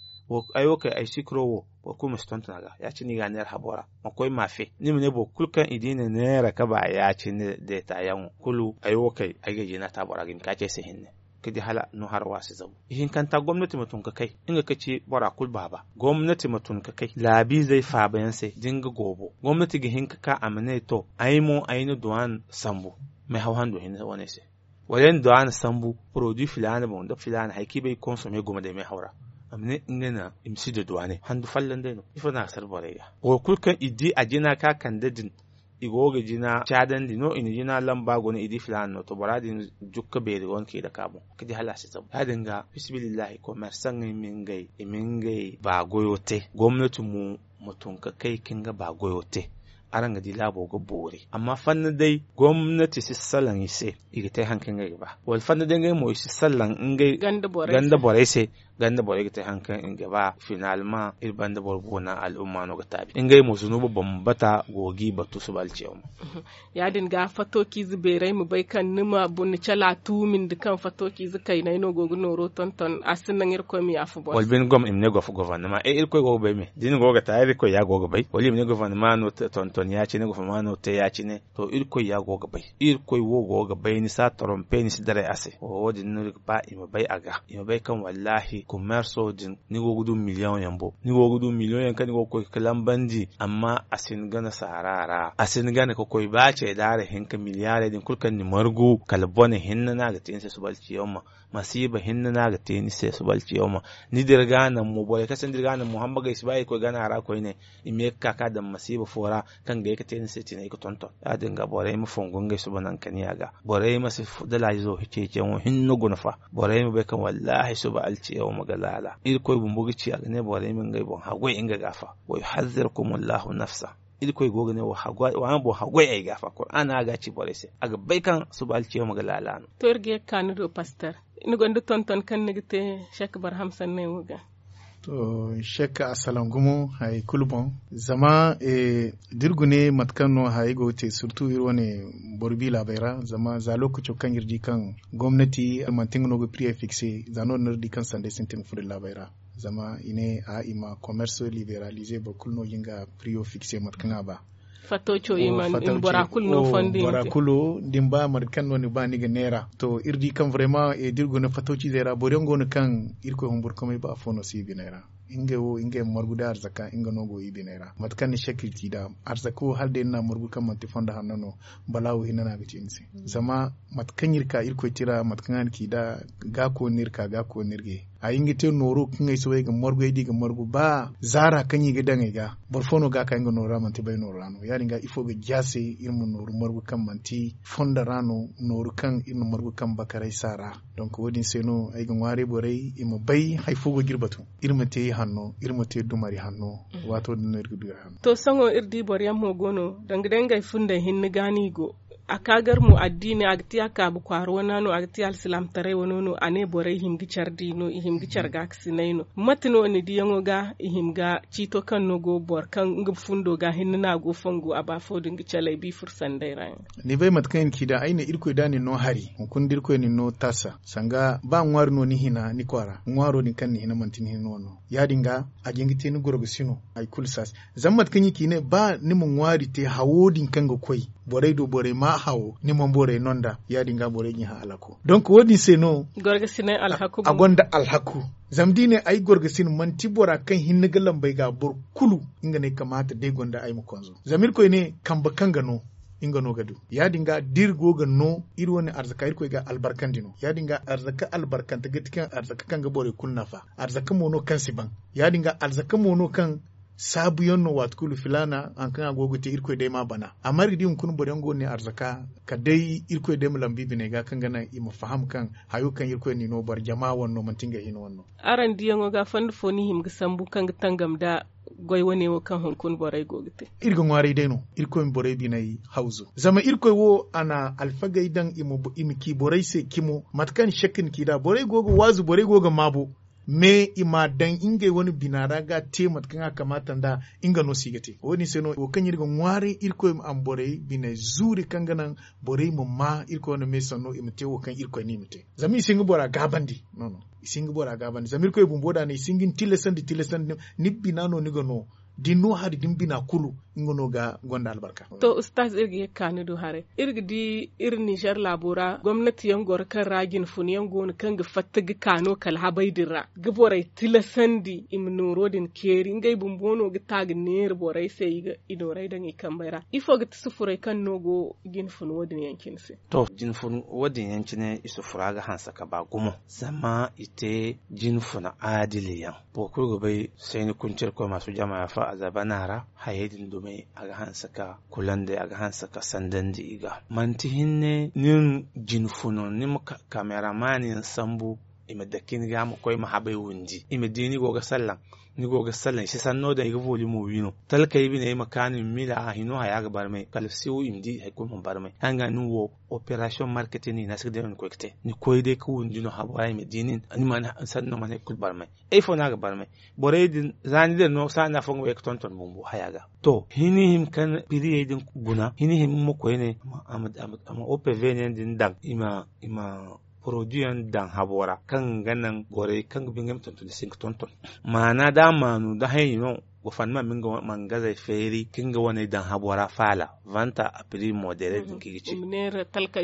Ay wo kay ay sikiro wo, boro kulu ma si tonton a ga. Ya- cine i ga a neera habo ra, ma koy maafe. Ni ma ne boro kulu kaŋ i di na neera ka ba ya- cine deetaayaŋo kulu, ay wo kay ay ga jina ta bora ga i ma ka ci ay se hinne, ka di hala no hara wa si zabu. Ihinkanta gomnati ma tun ka kay, nga ka ci bora kulu baaba. Gomnati ma tun ka kay laabiizey faabayaŋ se da nga goobo, gomnati ga hin ka ka a ma ne to, ay mo ay na duwaan sambu meehaw hando hinne wane se. Wala ay na duwaan sambu poroduwi filaana boŋ nda filaana hari kaŋ i bay ga konsome gumo day meehaw ra. A ma ne nga na i ma si da duwaane handu folloŋ day no ifo no a ga sara borey ga? Wo kulu kaŋ i di a jina ka kande din, i go ga jina caadandi no i na jina lamba guna i di filaana no to bora din jukka beeri go no kaŋ i dake a boŋ ka di hala a si zabu ya- din ga fisibilillahi komersaŋey ma ngey i ma ngey baagoyo te. Gomnati mo ma tun ka kay ka nga baagoyo te. Araŋ ga di laabo ga boori amma fanna day gomnati si salaŋ i se, i ga te hari kaŋ ngey ga ba wala fanna day ngey mo i si salaŋ ngey ganda borey se. Ganda borey ga te hari kaŋ i ga ba finalma iri banda boro boona al'umma no ga taabi ngey mo zunuba bambata go ga i batu suba alciyawma. Ya- din ga fatooci ize beeray ma bay kaŋ ni ma boro ni cala tuumindi kaŋ fatooci ize kaynay no go ga nooro tonton a si naŋ irkoy ma yaafa boro se. Wala bine gom i ma ne gofa gofornama e irkoy go ga bay me da ni go ga ta irkoy ya go ga bay wala i ma ne gofornama no tonton ya- cine gofornama no te ya- cine. To irkoy ya go ga bay, irkoy wo go ga bay ni si a torompe ni si daray a se wo- din no iri ga ba i ma bay a ga i ma bay kaŋ wallaahi kumerso din ni go ga du miliyoŋ yaŋ bo ni go ga du miliyoŋ yaŋ kaŋ ni go ga koy ga lambandi amma a si ni gana saara ra a si ni gana ka koy ba ce daara hinka miliyaarey din kulu kaŋ ni margu kala bone hinne no a ga te ni se suba alciyawma. Masiiba hinne no a ga te ni se suba alciyawma. Ni dira ga a naŋ mo borey kaŋ se ni dira ga a naŋ mo hambagey si ba i ga koy gana ra koyne. I ma ye ga ka ka daŋ masiiba fo ra kaŋ ga ye ga te ni se tinay ga tonton ya- din ga borey ma fongu ngey suba nankaniya ga. Borey ma si dalaajizo ceeciyaŋo hinne guna fa. Borey ma bay kaŋ wallaahi suba alciyawma ga laala irkoy bumbo ga ci a ga ne borey ma ngey boŋ haggoy nga ga fa. Wa yuhazirkumullahu nafsa. Irkoy go ga ne wa haggoy ay ga fa kuraana a ga a ci borey se a ga bay kaŋ suba alciyawma ga laala no. To iri ga ye ga ka ni do pastor, ni gonda tonton kaŋ ni ga te? Shek barham sanney wo ga. To shek a salaŋ gumo hari kulu boŋ. Zama da iri gune mate kaŋ no hari go ga te surtu iri wane boro bi laabey ra zama za lookaco kaŋ iri di kaŋ gomnati manti nga no ga priye fikse za no- din no iri di kaŋ sanday sintin ga furo iri laabey ra. Zama i ne a i ma commerce liberalize boro kulu no ga nga priyo fikse mate kaŋ a ba. Fatto co i ma bora kulu no fondi bora kulu da ni ba mate kaŋ no ni ba ni ga neera to iri di kaŋ vraiment da iri guna fatto ciizey ra boro yaŋ go no kaŋ irkoy humburkumay ba afo no si i biney ra. Ngey wo ngey ma margu da arzaka nga no go i biney ra mate kaŋ ni shek iri ci nd'a. Arzaka wo hala day ni n'a margu kaŋ manti fondo hanno no balaawo hinne no a ga ci ni se. Zama mate kaŋ iri ka irkoy tira mate kaŋ a na ci nd'a ga kooni no iri ka ga kooni no iri ga ye. A hin ga te nooro kaŋ ay soobay ga margu ay di ga margu ba zaara kaŋ i ga daŋ ay ga. Boro fo no ga ka nga nooro ra manti bay nooro ra no ya- din ga ifo ga jaase iri ma nooru margu kaŋ manti fondo ra no nooru kaŋ iri na margu kaŋ bakaray saara. Donk wo- din se no ay ga ŋwaaray borey i ma bay hari fo go ga iri batu. Iri ma te i hanno iri ma te dumari hanno. Waato din no iri ga du iri hanno. To sohõ iri di boro yaŋ mo go no danga day ngey fundey hinne ga no i go. A ka gar mo addiiney a ga ti a kaabu kwaara wana no a ga ti alsilaamataray wano no a ne borey i hima ga care di no i hima ga care gaakasinay no. Mate no ni diyaŋo ga i hima ga ciito kaŋ no go boro kaŋ nga fundo ga hinne no a go fongu a ba fo din ga calay bi furo sanday ra yaŋ? Ni bay mate kaŋ i na ci nd'a ay ne irkoy da nin no hari hunkuna da irkoy nin no taasa sanga ba ŋwaari no ni hina ni kwaara ŋwaaro din kaŋ ni hina manti ni hina no no ya- din ga a ga hin ga te ni gorgasi no. Hari kulu saasa zama mate kaŋ i ci ne ba ni ma ŋwaari te hawo din kaŋ ga koy borey do borey ma hawo ni mana borey no nd'a ya- din ga borey ga i hã alhako. Donk wo- din se no a gonda alhaku. Zama da i ne ay gorgasin manti bora kaŋ hinne ga lambey ga boro kulu nga no ay kamaata da ay gonda ay ma konzo zama irkoy ne kambe kaŋ ga no nga no ga du. Ya- din ga da iri go ga no iri wane arzaka irkoy ga albarkandi no ya- din ga arzaka albarkante ga ti kaŋ arzaka kaŋ ga borey kulu nafa. Arzaka mo no kaŋ si ban ya- din ga arzaka mo no kaŋ saabuyaŋ no waati kulu filaana hari kaŋ a go ga te irkoy day m'a bana. Amma iri ga di hunkuna boro yaŋ go no ne arzaka kala day irkoy day ma lambu i biney ga kaŋ ga naŋ i ma faham kaŋ hayo kaŋ irkoy n'i no boro jama wane no manti ngey hina wane no. Araŋ diyaŋo ga fondo fo no i hima ga sambu kaŋ ga tangam nda goy wane wo kaŋ hunkuna borey go ga te? Iri ga ŋwaaray day no irkoy ma borey biney hawzu zama irkoy wo a na alfagey daŋ i ma ci borey se cimo mate kaŋ shek na ci nd'a borey go ga waazu borey go ga maabo. Mais i m'a daŋ ngey wane bina ra ga te mate kaŋ a kamaata nd'a. Nga no se i ga te wo- din se no wo kaŋ iri ga ŋwaaray irkoy ma a ma borey biney zuuri kaŋ ga naŋ borey ma maa irkoy wane me sanno i ma te wo kaŋ irkoy ne i ma te. Zama i si hin ga bora gaabandi. No no i si hin ga bora gaabandi zama irkoy bumbo da no i si hin ga ni tilasandi tilasandi. Ni bina no ni ga no da ni no hari da ni bina kulu. Nga no ga gonda albarka. To ustaz iri ga ye ga ka ni du haray iri ga di iri ninzeer laabo ra gomnati yaŋ goro kaŋ ra jinfun yaŋ go no kaŋ ga fatta ga ka no kala habay din ra ga borey tilasandi i ma nooro din keeri ngey bumbo no ga ta ga neera borey se i nooray daŋ i kambey ra ifo ga ti sufuray kaŋ no go jinfun wo- din yaŋ cine se? To jinfun wo- din yaŋ cine i sufura ga hanse ka ba gumo zama i te jinfuna aadili yaŋ. Boro kulu ga bay sayni kunci irkoy maasu jama yaafa a zabana ra hayey din dumey a ga hanse ka kulandi a ga hanse ka sandandi i ga manti hinne nin jinfuno ni ma kamera maani yaŋ sambu i ma dake ni ga ma koy ma habay windi i ma di ni go ga sallan. Ni go ga sallan i si sanno daŋ i ga volimo wi no talkey biney ma kaanu i ma miila a hino haya ga barmay kala siw i ma di hari kulu ma barmay hanga nin wo operasiyoŋ marketing ni hina si ga day no ni koy ga te ni koy day ga windi no habo ra i ma di nin ni mana sanno mana hari kulu barmay. Ifo no a ga barmay borey din za ni din no saana fo nga bay ga tonton bumbo haya ga. To hini hima kaŋ piriyey din guna hini hima ma koyne a ma opv ne din daŋ i ma i ma poroduyaŋ daŋ habo ra kaŋ ga naŋ borey kaŋ ga ba ngey ma tonton i si hin ga tonton. Maana da a maanu da hayey no go fanda ma ma nga mangazey feeri ka nga waney daŋ habo ra faala vanta a piri modere din kaŋ i ga ci.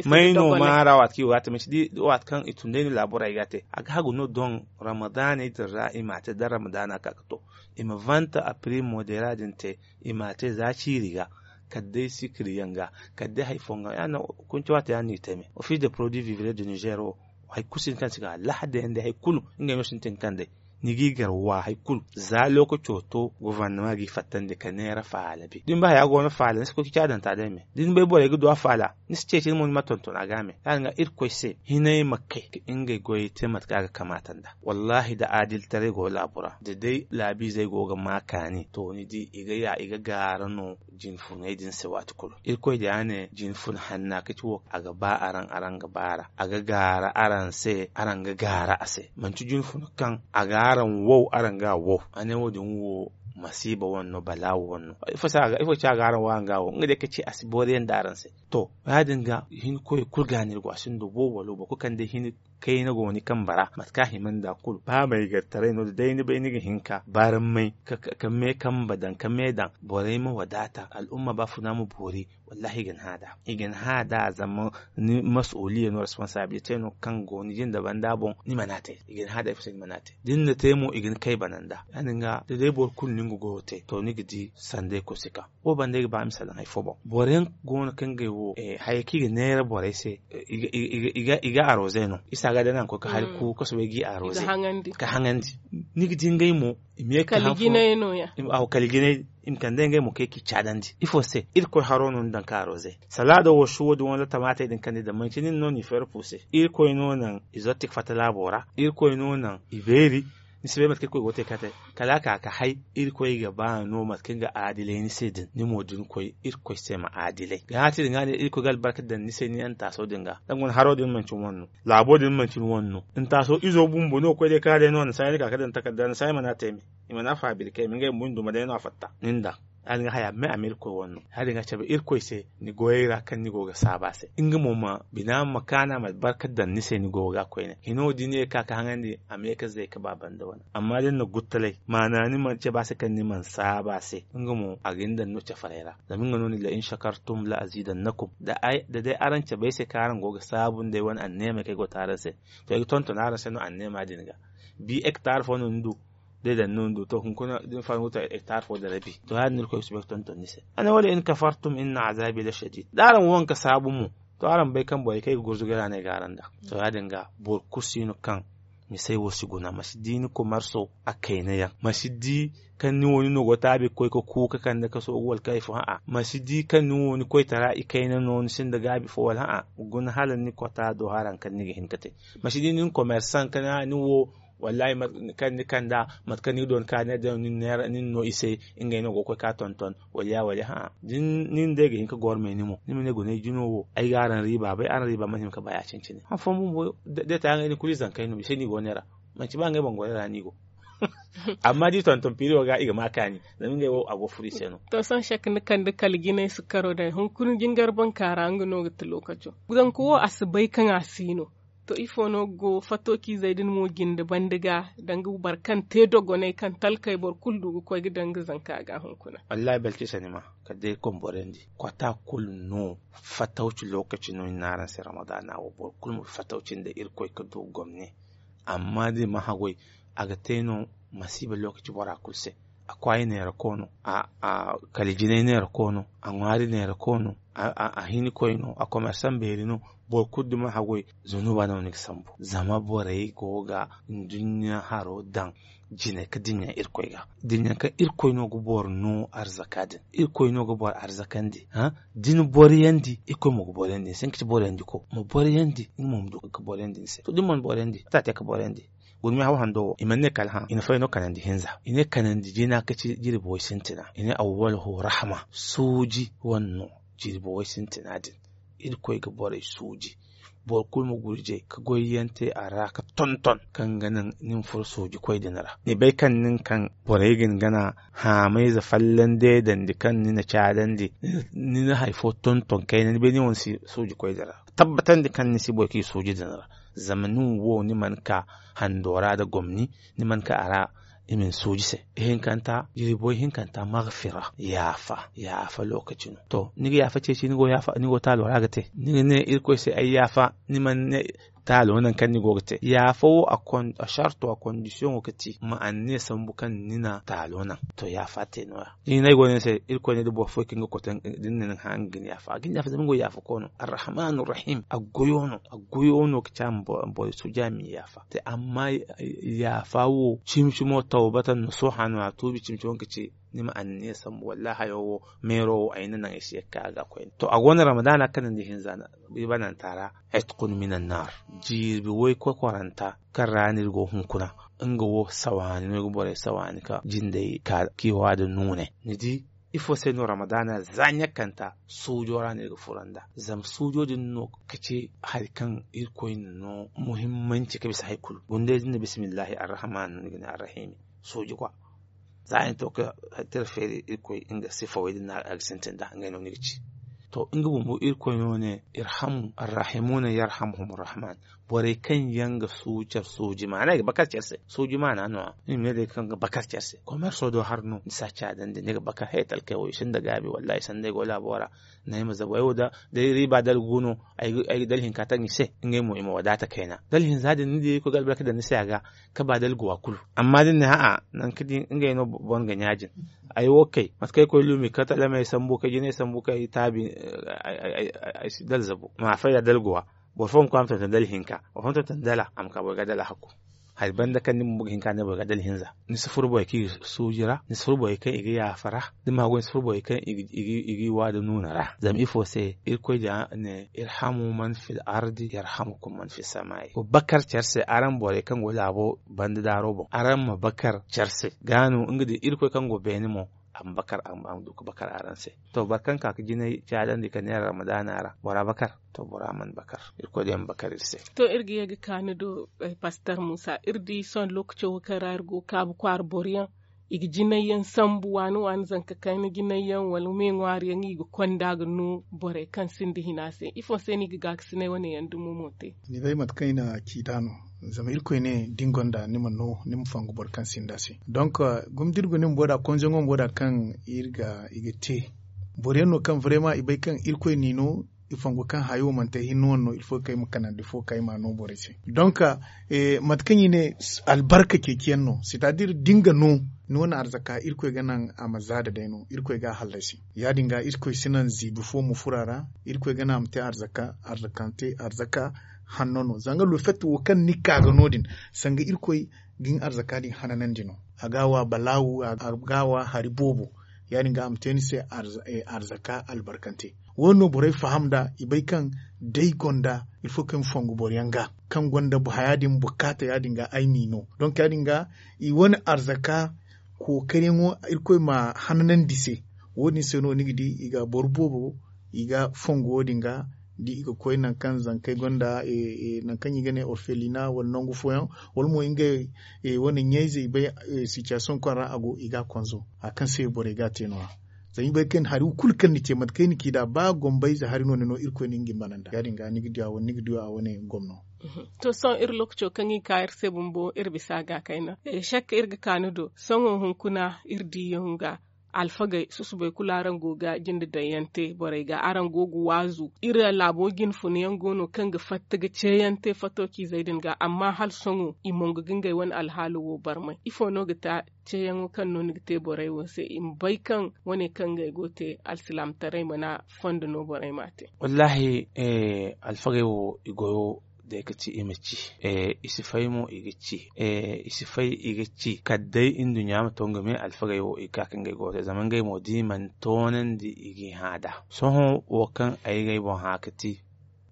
May no maara waati kaŋ i go ga a te manci di waati kaŋ i tun day no laabo ra i ga a te a ga hagu no doŋ. Ramadaaney din ra i m'a te da ramadaana ka ga to i ma vanta a piri modera din te i m'a te za ciiri ga kala day sikiri yaŋ ga kala day hari fooyaŋ ga ya no. Kunci waati ya no i te me office de produit vivre de nizer wo hari kulu sintin kaŋ si ga lahadey yaŋ day hari kulu ngey no sintin kaŋ day ni g'i gar wa hari kulu za lookaco to gofornama g'i fattandi ka neera faala bi da ni bay haya go no faala ni si koy ga ci a daŋ ta day me da ni bay borey ga du a faala ni si ceeci ni mo ni ma tonton a ga me ya- din ga irkoy se hinay ma kay ka ngey goyey te mate kaŋ a ga kamaata nd'a. Wallaahi da aadilitaray go laabo ra da day laabiizey go ga ma kaani to ni di i ga ya i ga gaara no jinfuney din se waati kulu irkoy da ya ne jinfun hanna ka ci wo a ga ba araŋ araŋ ga baara a ga gaara araŋ se araŋ ga gaara a se manti jinfun kaŋ a ga araŋ wow araŋ ga a wow a ne wo- din wo masiiba wane no balaawo wane no. Ifo ci a ga araŋ wo araŋ ga a wo nga day ka ci a si booriyaŋ da araŋ se. To ya- din ga hinkoy kulu ga no iri go a sinda wo wala wo boro kulu kaŋ day hin kayna go ni kambe ra mate kaŋ a hima nda kulu ba maygartaray no da day ni bay ni ga hin ka barmay ka me kambe daŋ ka me daŋ borey ma wadaata al'umma baafuna ma boori. Wallaahi i ga ni hã nd'a i ga ni hã nd'a zama ni masuuliya no responsabilite no kaŋ go ni jinde banda boŋ ni mana te i ga ni hã nd'a ifo se ni mana te da ni na te mo i ga ni kay bana nd'a ya- din ga da day boro kulu na nga goyo te to ni ga di sanday koy si ka wo banda ay ga ba misal daŋ hari fo boŋ boro yaŋ go no kaŋ ngey wo haya kaŋ i ga neera borey se i ga aroze no isa ga day no a ga koy ka hari ku ka soobay g'i aroze ka haŋandi ni ga di ngey mo i ma ye ka haŋ fo kala jinay i ma kande ngey mo kaŋ i ga i caadandi ifo se irkoy haro no ni daŋ ka aroze salaada wo suwo din wala tamaatey din kaŋ ni daŋ manci nin no n'i feera fu se irkoy no naŋ i zotti ga fatta laabo ra irkoy no naŋ i beeri ni si bay mate kaŋ irkoy go ga te ka te kala a ka ka hay irkoy ga ba no mate kaŋ ga aadilay ni se din ni mo da ni koy irkoy se ma aadilay ga hã ti din ga ne irkoy ga albarka daŋ ni se ni antaaso din ga da nga wane haro din manci ni wane no laabo din manci ni wane no antaaso izo bumbo no ga koy day ka day no a na saayi ni ka ka daŋ takarda a na saayi mana te me i mana faabiri kay me ngey bumbo ni duma day no a fatta ni nda ya- din ga haya me a ma irkoy wane no ya- din ga cabe irkoy se ni goyey ra kaŋ ni go ga saabu a se nga mo ma bina ma kaanu a ma albarka daŋ ni se ni go ga koyne hino da ni ye ga ka ka haŋandi a ma ye ka zay ka ba banda wane amma da ni na guttalay maana ni mana cabe a se kaŋ ni mana saabu a se nga mo a ga ni daŋ no cafaray ra zama nga no ni la in shakartum la azidannakum da day araŋ cabe ay se kaŋ araŋ go ga saabu nd'ay wane anneemey kaŋ ay go ga te araŋ se to ay ga tonton araŋ se no anneema din ga bi hektar fo no ni du day daŋ no ni du to hunkuna da ni faala ni go ga te hektar fo da rabi to ya- din no irkoy ga soobay ga tonton ni se a ne wala in kafartum inna azabi la shadid da araŋ wo nga ga saabu mo to araŋ bay kaŋ borey kaŋ ay ga gurzugu ay ra no ay ga araŋ daŋ to ya- din ga boro kulu si no kaŋ misey wo si guna ma si di ni komarso a kayna yaŋ ma si di kaŋ ni wo ni no go ga taabi ga koy ga kuuka kande ka soogu wala kaŋ ay fo hã'a ma si di kaŋ ni wo ni koytara i kayna no ni sinda gaabi fo wala hã'a guna hala ni kota do haraŋ kaŋ ni ga hin ga te ma si di nin komersaŋ kaŋ ni wo wallahi kaŋ ni kand'a mate kaŋ ni ga doona ka ne day no nin no i se ngey no go ga koy ka tonton wala ya wala hã'a da nin day ga hin ga gormay ni mo ni ma ne guna ay jino wo ay ga araŋ riiba bay araŋ riiba mana hima ga ba ya- cine-cine han fooyaŋ bumbo day ta yaŋ ay din kulu i zankey no i se no i go neera Manci ba ngey boŋ goray ra no i go. Amma da i tonton piri wo ga i ga ma kaani. Zama ngey wo a go furo i se no. To sohõ shek ni kande kala jinay si karo day hunkuna jingar bankaara nga no ga ti lookaco. Zanka wo a si bay kaŋ a si no. To ifo no ga go fato ciizey din mo jinde banda ga danga boro kaŋ te dogonay kaŋ talkey boro kulu du ga koy ga danga zanka ga hunkuna. Wallahi balkisa ni ma kala day iri koy ma borandi. Kota kulu no fatawci lookaci no i na araŋ se ramadaana wo boro kulu ma fatawci nda irkoy ga du gomne. Amma da i ma haggoy a ga te no masiiba lookaci bora kulu se. A kwaayi neera ko no, a kala jinay neera ko no, a ŋwaari neera ko no, a hinikoy no, a komersan beeri no. Boro kulu da ma haggoy zunuba no ni ga sambu zama borey go ga nduɲɲa haro daŋ. Jinay ka dinya irkoy ga dinya kaŋ irkoy no ga boro no arzaka din. Irkoy no ga boro arzakandi da ni boriyandi irkoy mo ga boriyandi ni se nga ci boriyandi ko ma boriyandi nga mo ma du ga boriyandi ni se to da ni mana boriyandi mate a te ka boriyandi. Gurmi haw hando wo i mana ne kala hã i na fay no kanandi hinza i ne kanandi jina ka ci jirbi way sintina i ne awwal ho rahma sooji wane no. Jirbi way sintina din irkoy ga borey sooji boro kulu ma gurjay ka goyyaŋ te a ra ka tonton kaŋ ga naŋ ni ma furo sooji koy din ra ni bay kaŋ nin kaŋ borey ga ni gana haamayze fallan deedandi kaŋ ni na caadandi ni na hari fo tonton kayna ni bay ni wane si sooji koy din ra tabbatandi kaŋ ni si boy kaŋ i sooji din ra. Zama nin wo ni mana ka hando ra nda gomni ni mana ka a ra i ma ni sooji se. Ihinkanta jirbo ihinkanta magfira yaafa yaafa lookaci no to ni ga yaafa ceeci ni go taalo ra ga te ni ga ne irkoy se ay yaafa. Ni mana ne taalo naŋ kaŋ ni go ga te yaafa wo a sarto a kondisiyoŋo ga ti ma anniya sambu kaŋ ni na taalo naŋ. To yaafa te nooya ni ga ne ay go ne ni se irkoy ne da boro fooyaŋ kaŋ ga kote da ni ne ni ga hã nga ga ni yaafa a ga ni yaafa zama nga wo yaafa koy no arrahmanu rahim a goyo no a goyo no ga ci a ma boro suuja ma i yaafa. Te amma yaafa wo cimi cimo tawbatan no sohã no a tuubi cimi cimo ga ci ni ma anniya sambu wallahi hayo wo meero wo ay na naŋ ay si ye ga ka ga koyne to a go no ramadaana kanandi hinza no. Ibananta ra, itkun min annar. Jiibi woy kokoranta kaŋ ra no iri go hunkuna nga wo sawaani no iri ga borey sawaani ka jindey ka kiiwa da nuunay. Ni di ifo se no ramadaana za ɲakkanta suujo ra no iri ga furo nd'a zama suujo din no ka ci hari kaŋ irkoy na no muhimmanci ka bisa hari kulu gundey din na bismillahi arrahman no ni ga ne arrahimi. Suuji kwa za a ni to ka tira feeri irkoy nga sifawey din no a ga sintin nd'a ngey no ni ga ci. To nga bumbo irkoy no ne irhamu arrahimuna yarhamhum arrahman. Borey kaŋ yaŋ ga suucar suuji maana i ga bakar care se suuji maana no-ya ni ma ne day kaŋ ga bakar care se komerso do har no ni si a caadandi ni ga bakar hay talkey wo i sinda gaabi wallahi sanda ay go laabo ra. Naŋ ay ma zabu ay wo da day riiba dalgu no ay ga dalhinka taŋ i se ngey mo i ma wadaata kayna dalhinza din ni di irkoy ga albarka daŋ ni se a ga ka ba dalguwa kulu. Amma da ni ne a'a nangu ka di ngey no boro ga ɲaajin ay wo kay mate kaŋ ay koy luumi ka talamey sambu kay jinay sambu kay taabi ay si dala zabu ma fayda dalguwa. Boro fo ma koy a ma tonton dala hinka boro fo ma tonton dala a ma ka boro ga dala hakku. Hari banda kaŋ ni bumbo ga hin ka ne boro ga dala hinza ni si furo borey kaŋ i ga suuji ra ni si furo borey kaŋ i ga yaafa ra da ma goy ni si furo borey kaŋ i ga i wa da nuuna ra zama ifo se irkoy da ne irhamu man fil ardi yarhamukum man fis samai wa bakar care se araŋ borey kaŋ go laabo banda daaro boŋ araŋ ma bakar care se ga no nga da irkoy kaŋ go beene mo a ma bakar a ma du ka bakar araŋ se. To boro kaŋ ka ga jinay caadandi ka neera ramadaana ra bora bakar. To bora mana bakar irkoy day ma bakar iri se. To iri ga ye ga ka ni do pastor musa iri di sohõ lookaco wo kaŋ ra iri go kaabu kwaara boro yaŋ i ga jinay yaŋ sambu waani waani zanka kayna jinay yaŋ wala me ŋwaari yaŋ i ga konda ga no borey kaŋ sinda hina se ifo se no i ga gaakasinay wane yaŋ dumo mo te? Ni bay mate kaŋ i na ci nd'a no. Zama irkoy ne da ni gonda ni ma no ni ma fongu boro kaŋ sinda se. Donk guma da iri go ni bumbo nd'a konzoŋo bumbo nd'a kaŋ iri ga i ga te boro yaŋ no kaŋ vraiment i bay kaŋ irkoy n'i no i fongu kaŋ hayo manti ay hinne wane no ilfo kaŋ ay ma kanandi fo kaŋ ay m'a no borey se. Donk mate kaŋ i ne albarka ceeciyaŋ no c'est à dire da ni ga no ni wane arzaka irkoy ga naŋ a ma zaada day no irkoy ga a hallasi. Ya- din ga irkoy si naŋ ziibi fo ma furo a ra. Irkoy ga naŋ a ma te arzaka arzakante arzaka hanno no zanga lofet wo kaŋ ni ka ga no- din sanga irkoy ga ni arzaka din hananandi no. A ga a wa balaawu a ga a wa hari boobo. Ya- din ga a ma te ni se arzaka albarkante. Wo- din no borey faham nd'a i bay kaŋ day gonda ilfo kaŋ ay ma fongu boro yaŋ ga kaŋ gonda haya din bukaata ya- din ga ay m'i no donk ya- din ga i wane arzaka kookariyaŋo irkoy ma hananandi se. Wo- din se no ni ga di i ga boro boobo i ga fongu wo- din ga da i ga koy nangu kaŋ zankey gonda nangu kaŋ i ga ne orfelina wala nangu fooyaŋ, wala mo ngey wane ɲayze i bay sitiyasoŋ kaŋ ra a go i ga a konzo hari kaŋ se borey ga a te no- ya. Zama i bay kaŋ hari kulu kaŋ ni te mate kaŋ i na ci nd'a ba gombayze hari no ni no irkoy no nga i mana nd'a ya- din ga ni ga di a wane gomno. To sohõ iri lookaco kaŋ i ka iri se bumbo iri bisa ga kayna. Sakka iri ga ka ni do sohõ hunkuna iri diyaŋ ga alfagey susubey kulu araŋ go ga jinde daŋ yaŋ te borey ga araŋ go ga waazu iri laabo jine funa yaŋ go no kaŋ ga fatta ga ceeyaŋ te fato ciizey din ga amma hala sohõ i mongo ga ngey wane alhaalo wo barmay ifo no ga ta? Ceeyaŋo kaŋ no ni ga te borey wo se i ma bay kaŋ wane kaŋ ngey go ga te alsilaamataray mana fondo no borey m'a te. Wallaahi, alfagey wo i goyo day ga ci i ma ci. I si fay mo i ga ci. I si fay i ga ci kala day nduɲɲa ma to nga me alfagey wo i ga ka ka ngey goyo te zama ngey mo da i mana toonandi i g'i hã nd'a. Sohõ wo kaŋ ay ga ay boŋ hã ga ti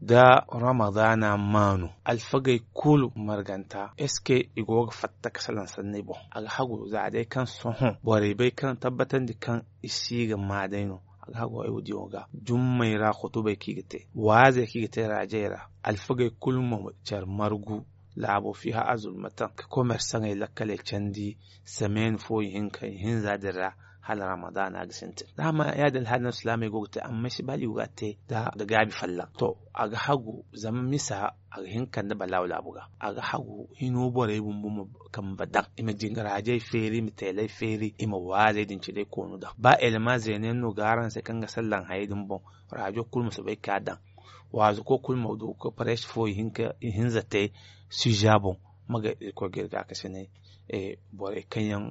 da ramadaana maanu alfagey kulu marganta est ce que i go ga fatta ga salaŋ sanney boŋ? A ga hagu za day kaŋ sohõ borey bay kaŋ tabbatandi kaŋ i si ga maa day no. A ga hagu ay wo diyaŋo ga jummey ra khutubey kaŋ i ga te waazey kaŋ i ga te raajey ra alfagey kulu ma care margu laabo fiiha azulmataŋ ka komersaŋey lakkaley candi. Sameeni fo ihinka ihinza din ra hala ramadaana ga sintin da a ma ya- din alhaali no silaamey go ga te amma ay si ba hala i go ga a te nda gaabi folloŋ to a ga hagu zama misa a ga hin ka kande balaawu laabu ga. A ga hagu hino borey bumbo ma kamba daŋ i ma jingarajey feeri i ma teeley feeri i ma waazey din ci day koonu daŋ ba elema zeena yaŋ no ga araŋ se kaŋ ga sallaŋ hayey din boŋ. Raajo kulu ma soobay ga ka daŋ waazu koy kulu ma du ga pareesi fo ihinza te suza boŋ. Ma ga irkoy ga iri gaakasinay borey kaŋ yaŋ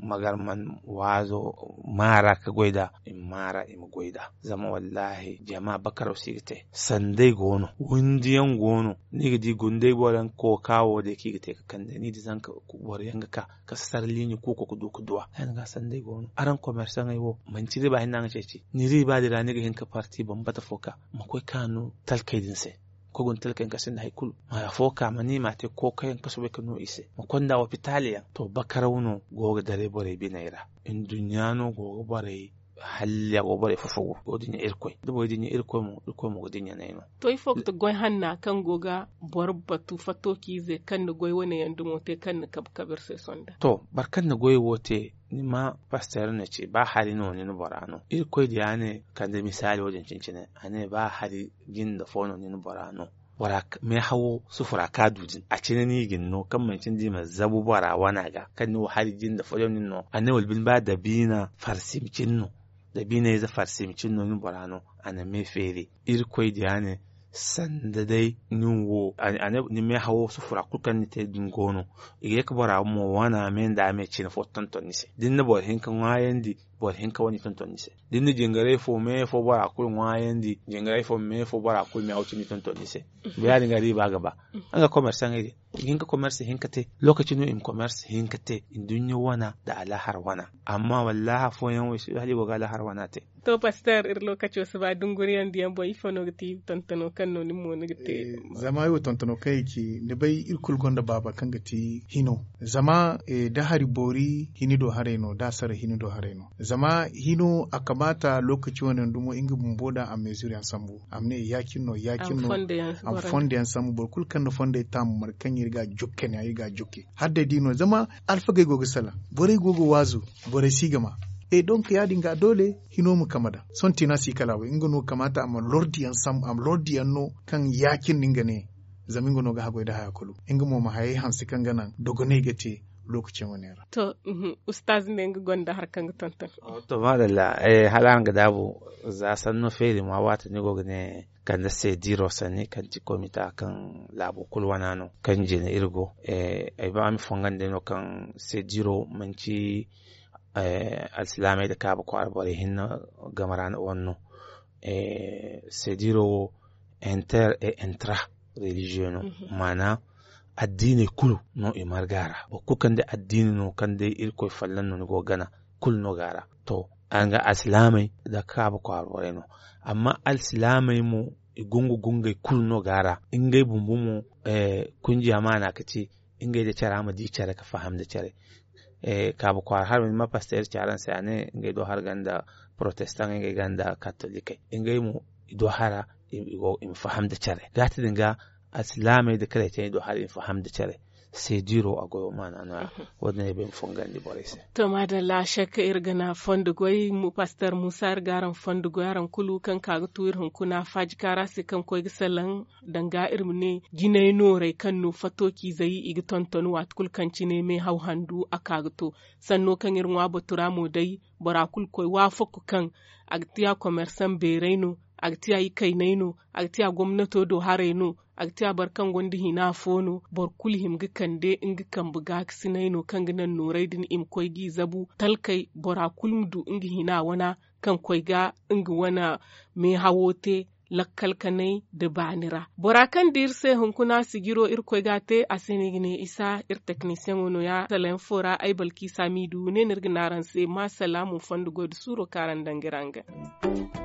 ma gar man waazo maara ka goy nd'a i ma maara i ma goy nd'a. Zama wallaahi jama bakaraw si ga te sanday go no windi yaŋ go no. Ni ga di gunday boro yaŋ ga kooka wo day kaŋ i ga te ga kande ni di zanka boro yaŋ ga ka ka sarliini kuuko ga du ga duwa. Yaŋ ga sanday go no araŋ komersaŋey wo manci riba hinne araŋ ga ceeci ni riba din ra ni ga hin ka parti bambata fo ka ma koy ka no talkey din se. Koy guna talkey yaŋ kaŋ sinda hari kulu ma afo ka ma ni m'a te kookayaŋ ka soobay ka no i se ma konda wopitaali yaŋ to bakaraw no go ga daray borey biney ra. Nduɲɲa no go ga borey halli a go borey fofogu go ga dinya irkoy da borey dinya irkoy mo irkoy mo ga dinya no ay no. To ifo ga ti goy hanna kaŋ go ga boro batu fato ciize kaŋ na goy wane yaŋ dumo te kaŋ na kabe kabe iri se sonda. To boro kaŋ na goy wo te ni ma pasteer no ci ba hari no nin bora no irkoy diya ne kande misaali wo- din cine-cine a ne ba hari jinde fo no nin bora no. Bora meehawo sufura kaŋ a du din a cine no i ga ni no kaŋ manci ni di i ma zabu bora wana ga kaŋ ni wo hari jinde fo yaŋ nin no a ne wala bine ba dabiina farsim cine no. Dabiina ize farsim cine no nin bora no a na me feeri irkoy diya ne sanda day nin wo ni meehawo sufura kulu kaŋ ni te din go no. I ga ye ka bora mo wana me nda me cine fo tonton ni se da ni na boro hinka ŋwaayandi boro hinka wane tonton ni se. Da ni na jingaray fo me fo bora kulu ŋwaayandi jingaray fo me fo bora kulu me haw cindi tonton ni se. Ba ya- din ga riiba ga ba nga komersaŋey din i ga hin ka komersi hinka te. Lookaci no i ma komersi hinka te nduɲɲa wana nda alaahara wana. Amma wallaahi afooyaŋ wo i si du hala i go ga alaahara wana te. To pasteer iri lookaco si ba dunguriyaŋ diyaŋ boŋ ifo no ga ti tontono kaŋ no nin mo ni ga te? Zama ay wo tontono kaŋ ay ci ni bay iri kulu gonda baaba kaŋ ga ti hino. Zama da hari boori hini do haray no da a sara hini do haray no. Zama hino a kamaata lookaci wane yaŋ dumo nga bumbo daŋ a meezir yaŋ sambu a ma ne ya- cine no ya- cine no. A ma fondo yaŋ sambu boro kulu kaŋ na fondey taamu mara kaŋ iri ga a jokke ne iri ga a jokke hala day da i no zama alfagey go ga salaŋ borey go ga waazu. Borey si ga ma e donk ya- din ga doole hino ma kama daŋ sohõ tiina si kala a way nga no kamaata a ma lordi yaŋ sambu a ma lordi yaŋ no kaŋ ya- cine no nga ne. Zama nga no ga haggoy nda haya kulu nga mo ma hayey hanse kaŋ ga naŋ dogoney ga te. Lookaci yaŋ wane ra. To ustaaz ne nga gonda hari kaŋ ga tonton. To maadalla. Hala araŋ ga daabu za sanno feeri ma waati ni go ga ne kande seediro sanni kaŋ ti komita kaŋ laabo kulu wana no kaŋ jine iri go. Ay ba ma fongandi no kaŋ seediro manci alsilaamey nda kaaba kwaara borey hinne game ra wane no. Seediro wo inter et intra religieux no. Maana addiiney kulu no i marga ra boro kulu kaŋ day addiini no kaŋ day irkoy folloŋ no ni go ga gana kulu no ga a ra. To araŋ ga alsilaamey nda kaaba kwaara borey no. Amma alsilaamey mo i gungu gungey kulu no ga a ra ngey bumbo mo. Kunjiya maana ga ti ngey nda care a ma di care ga faham nda care. Kaabu kwaara haro ni ma pasteer ci araŋ se a ne ngey do hari ganda protestant ngey ganda katolikey ngey mo i do hara i ma faham nda care gaati din ga. Alsilaamey nda kareetey i do hara i ma faham nda care. Seediro a goyo maana no- ya. Wo- din ay bay ma fongandi borey se. To maadalla shek iri ga na fondo goy. Pastor muusa iri ga araŋ fondo goy araŋ kulu kaŋ ka ga tu iri hunkuna faaji kaara se kaŋ koy ga salaŋ danga iri ma ne jinay noorey kaŋ no fattociizey i ga tonton waati kulu kaŋ cine meehaw handu a ka ga to. Sanno kaŋ iri ŋwa batu ra mo day bora kulu koy waafaku kaŋ a ga tiya komersaŋ beeray no, a ga tiya ikaynay no, a ga tiya gomnato do haray no, a ga tiya boro kaŋ gonda hina fo no. Boro kulu hima ga kande nga kambe gaakasinay no kaŋ ga naŋ nooray din i ma koy g'i zabu talkey bora kulu ma du nga hina wana kaŋ koy ga nga wane meehawo te lakkal kanay nda baani ra. Bora kaŋ di iri se hunkuna sijiro irkoy ga a te a se no i ga ne isa iri teknisiyaŋo no- ya salaŋ fo ra ay balkiisa m'i du ne no iri ga ne araŋ se ma salaamu fondo goy nda suuro kaŋ araŋ daŋ ga iri araŋ ga.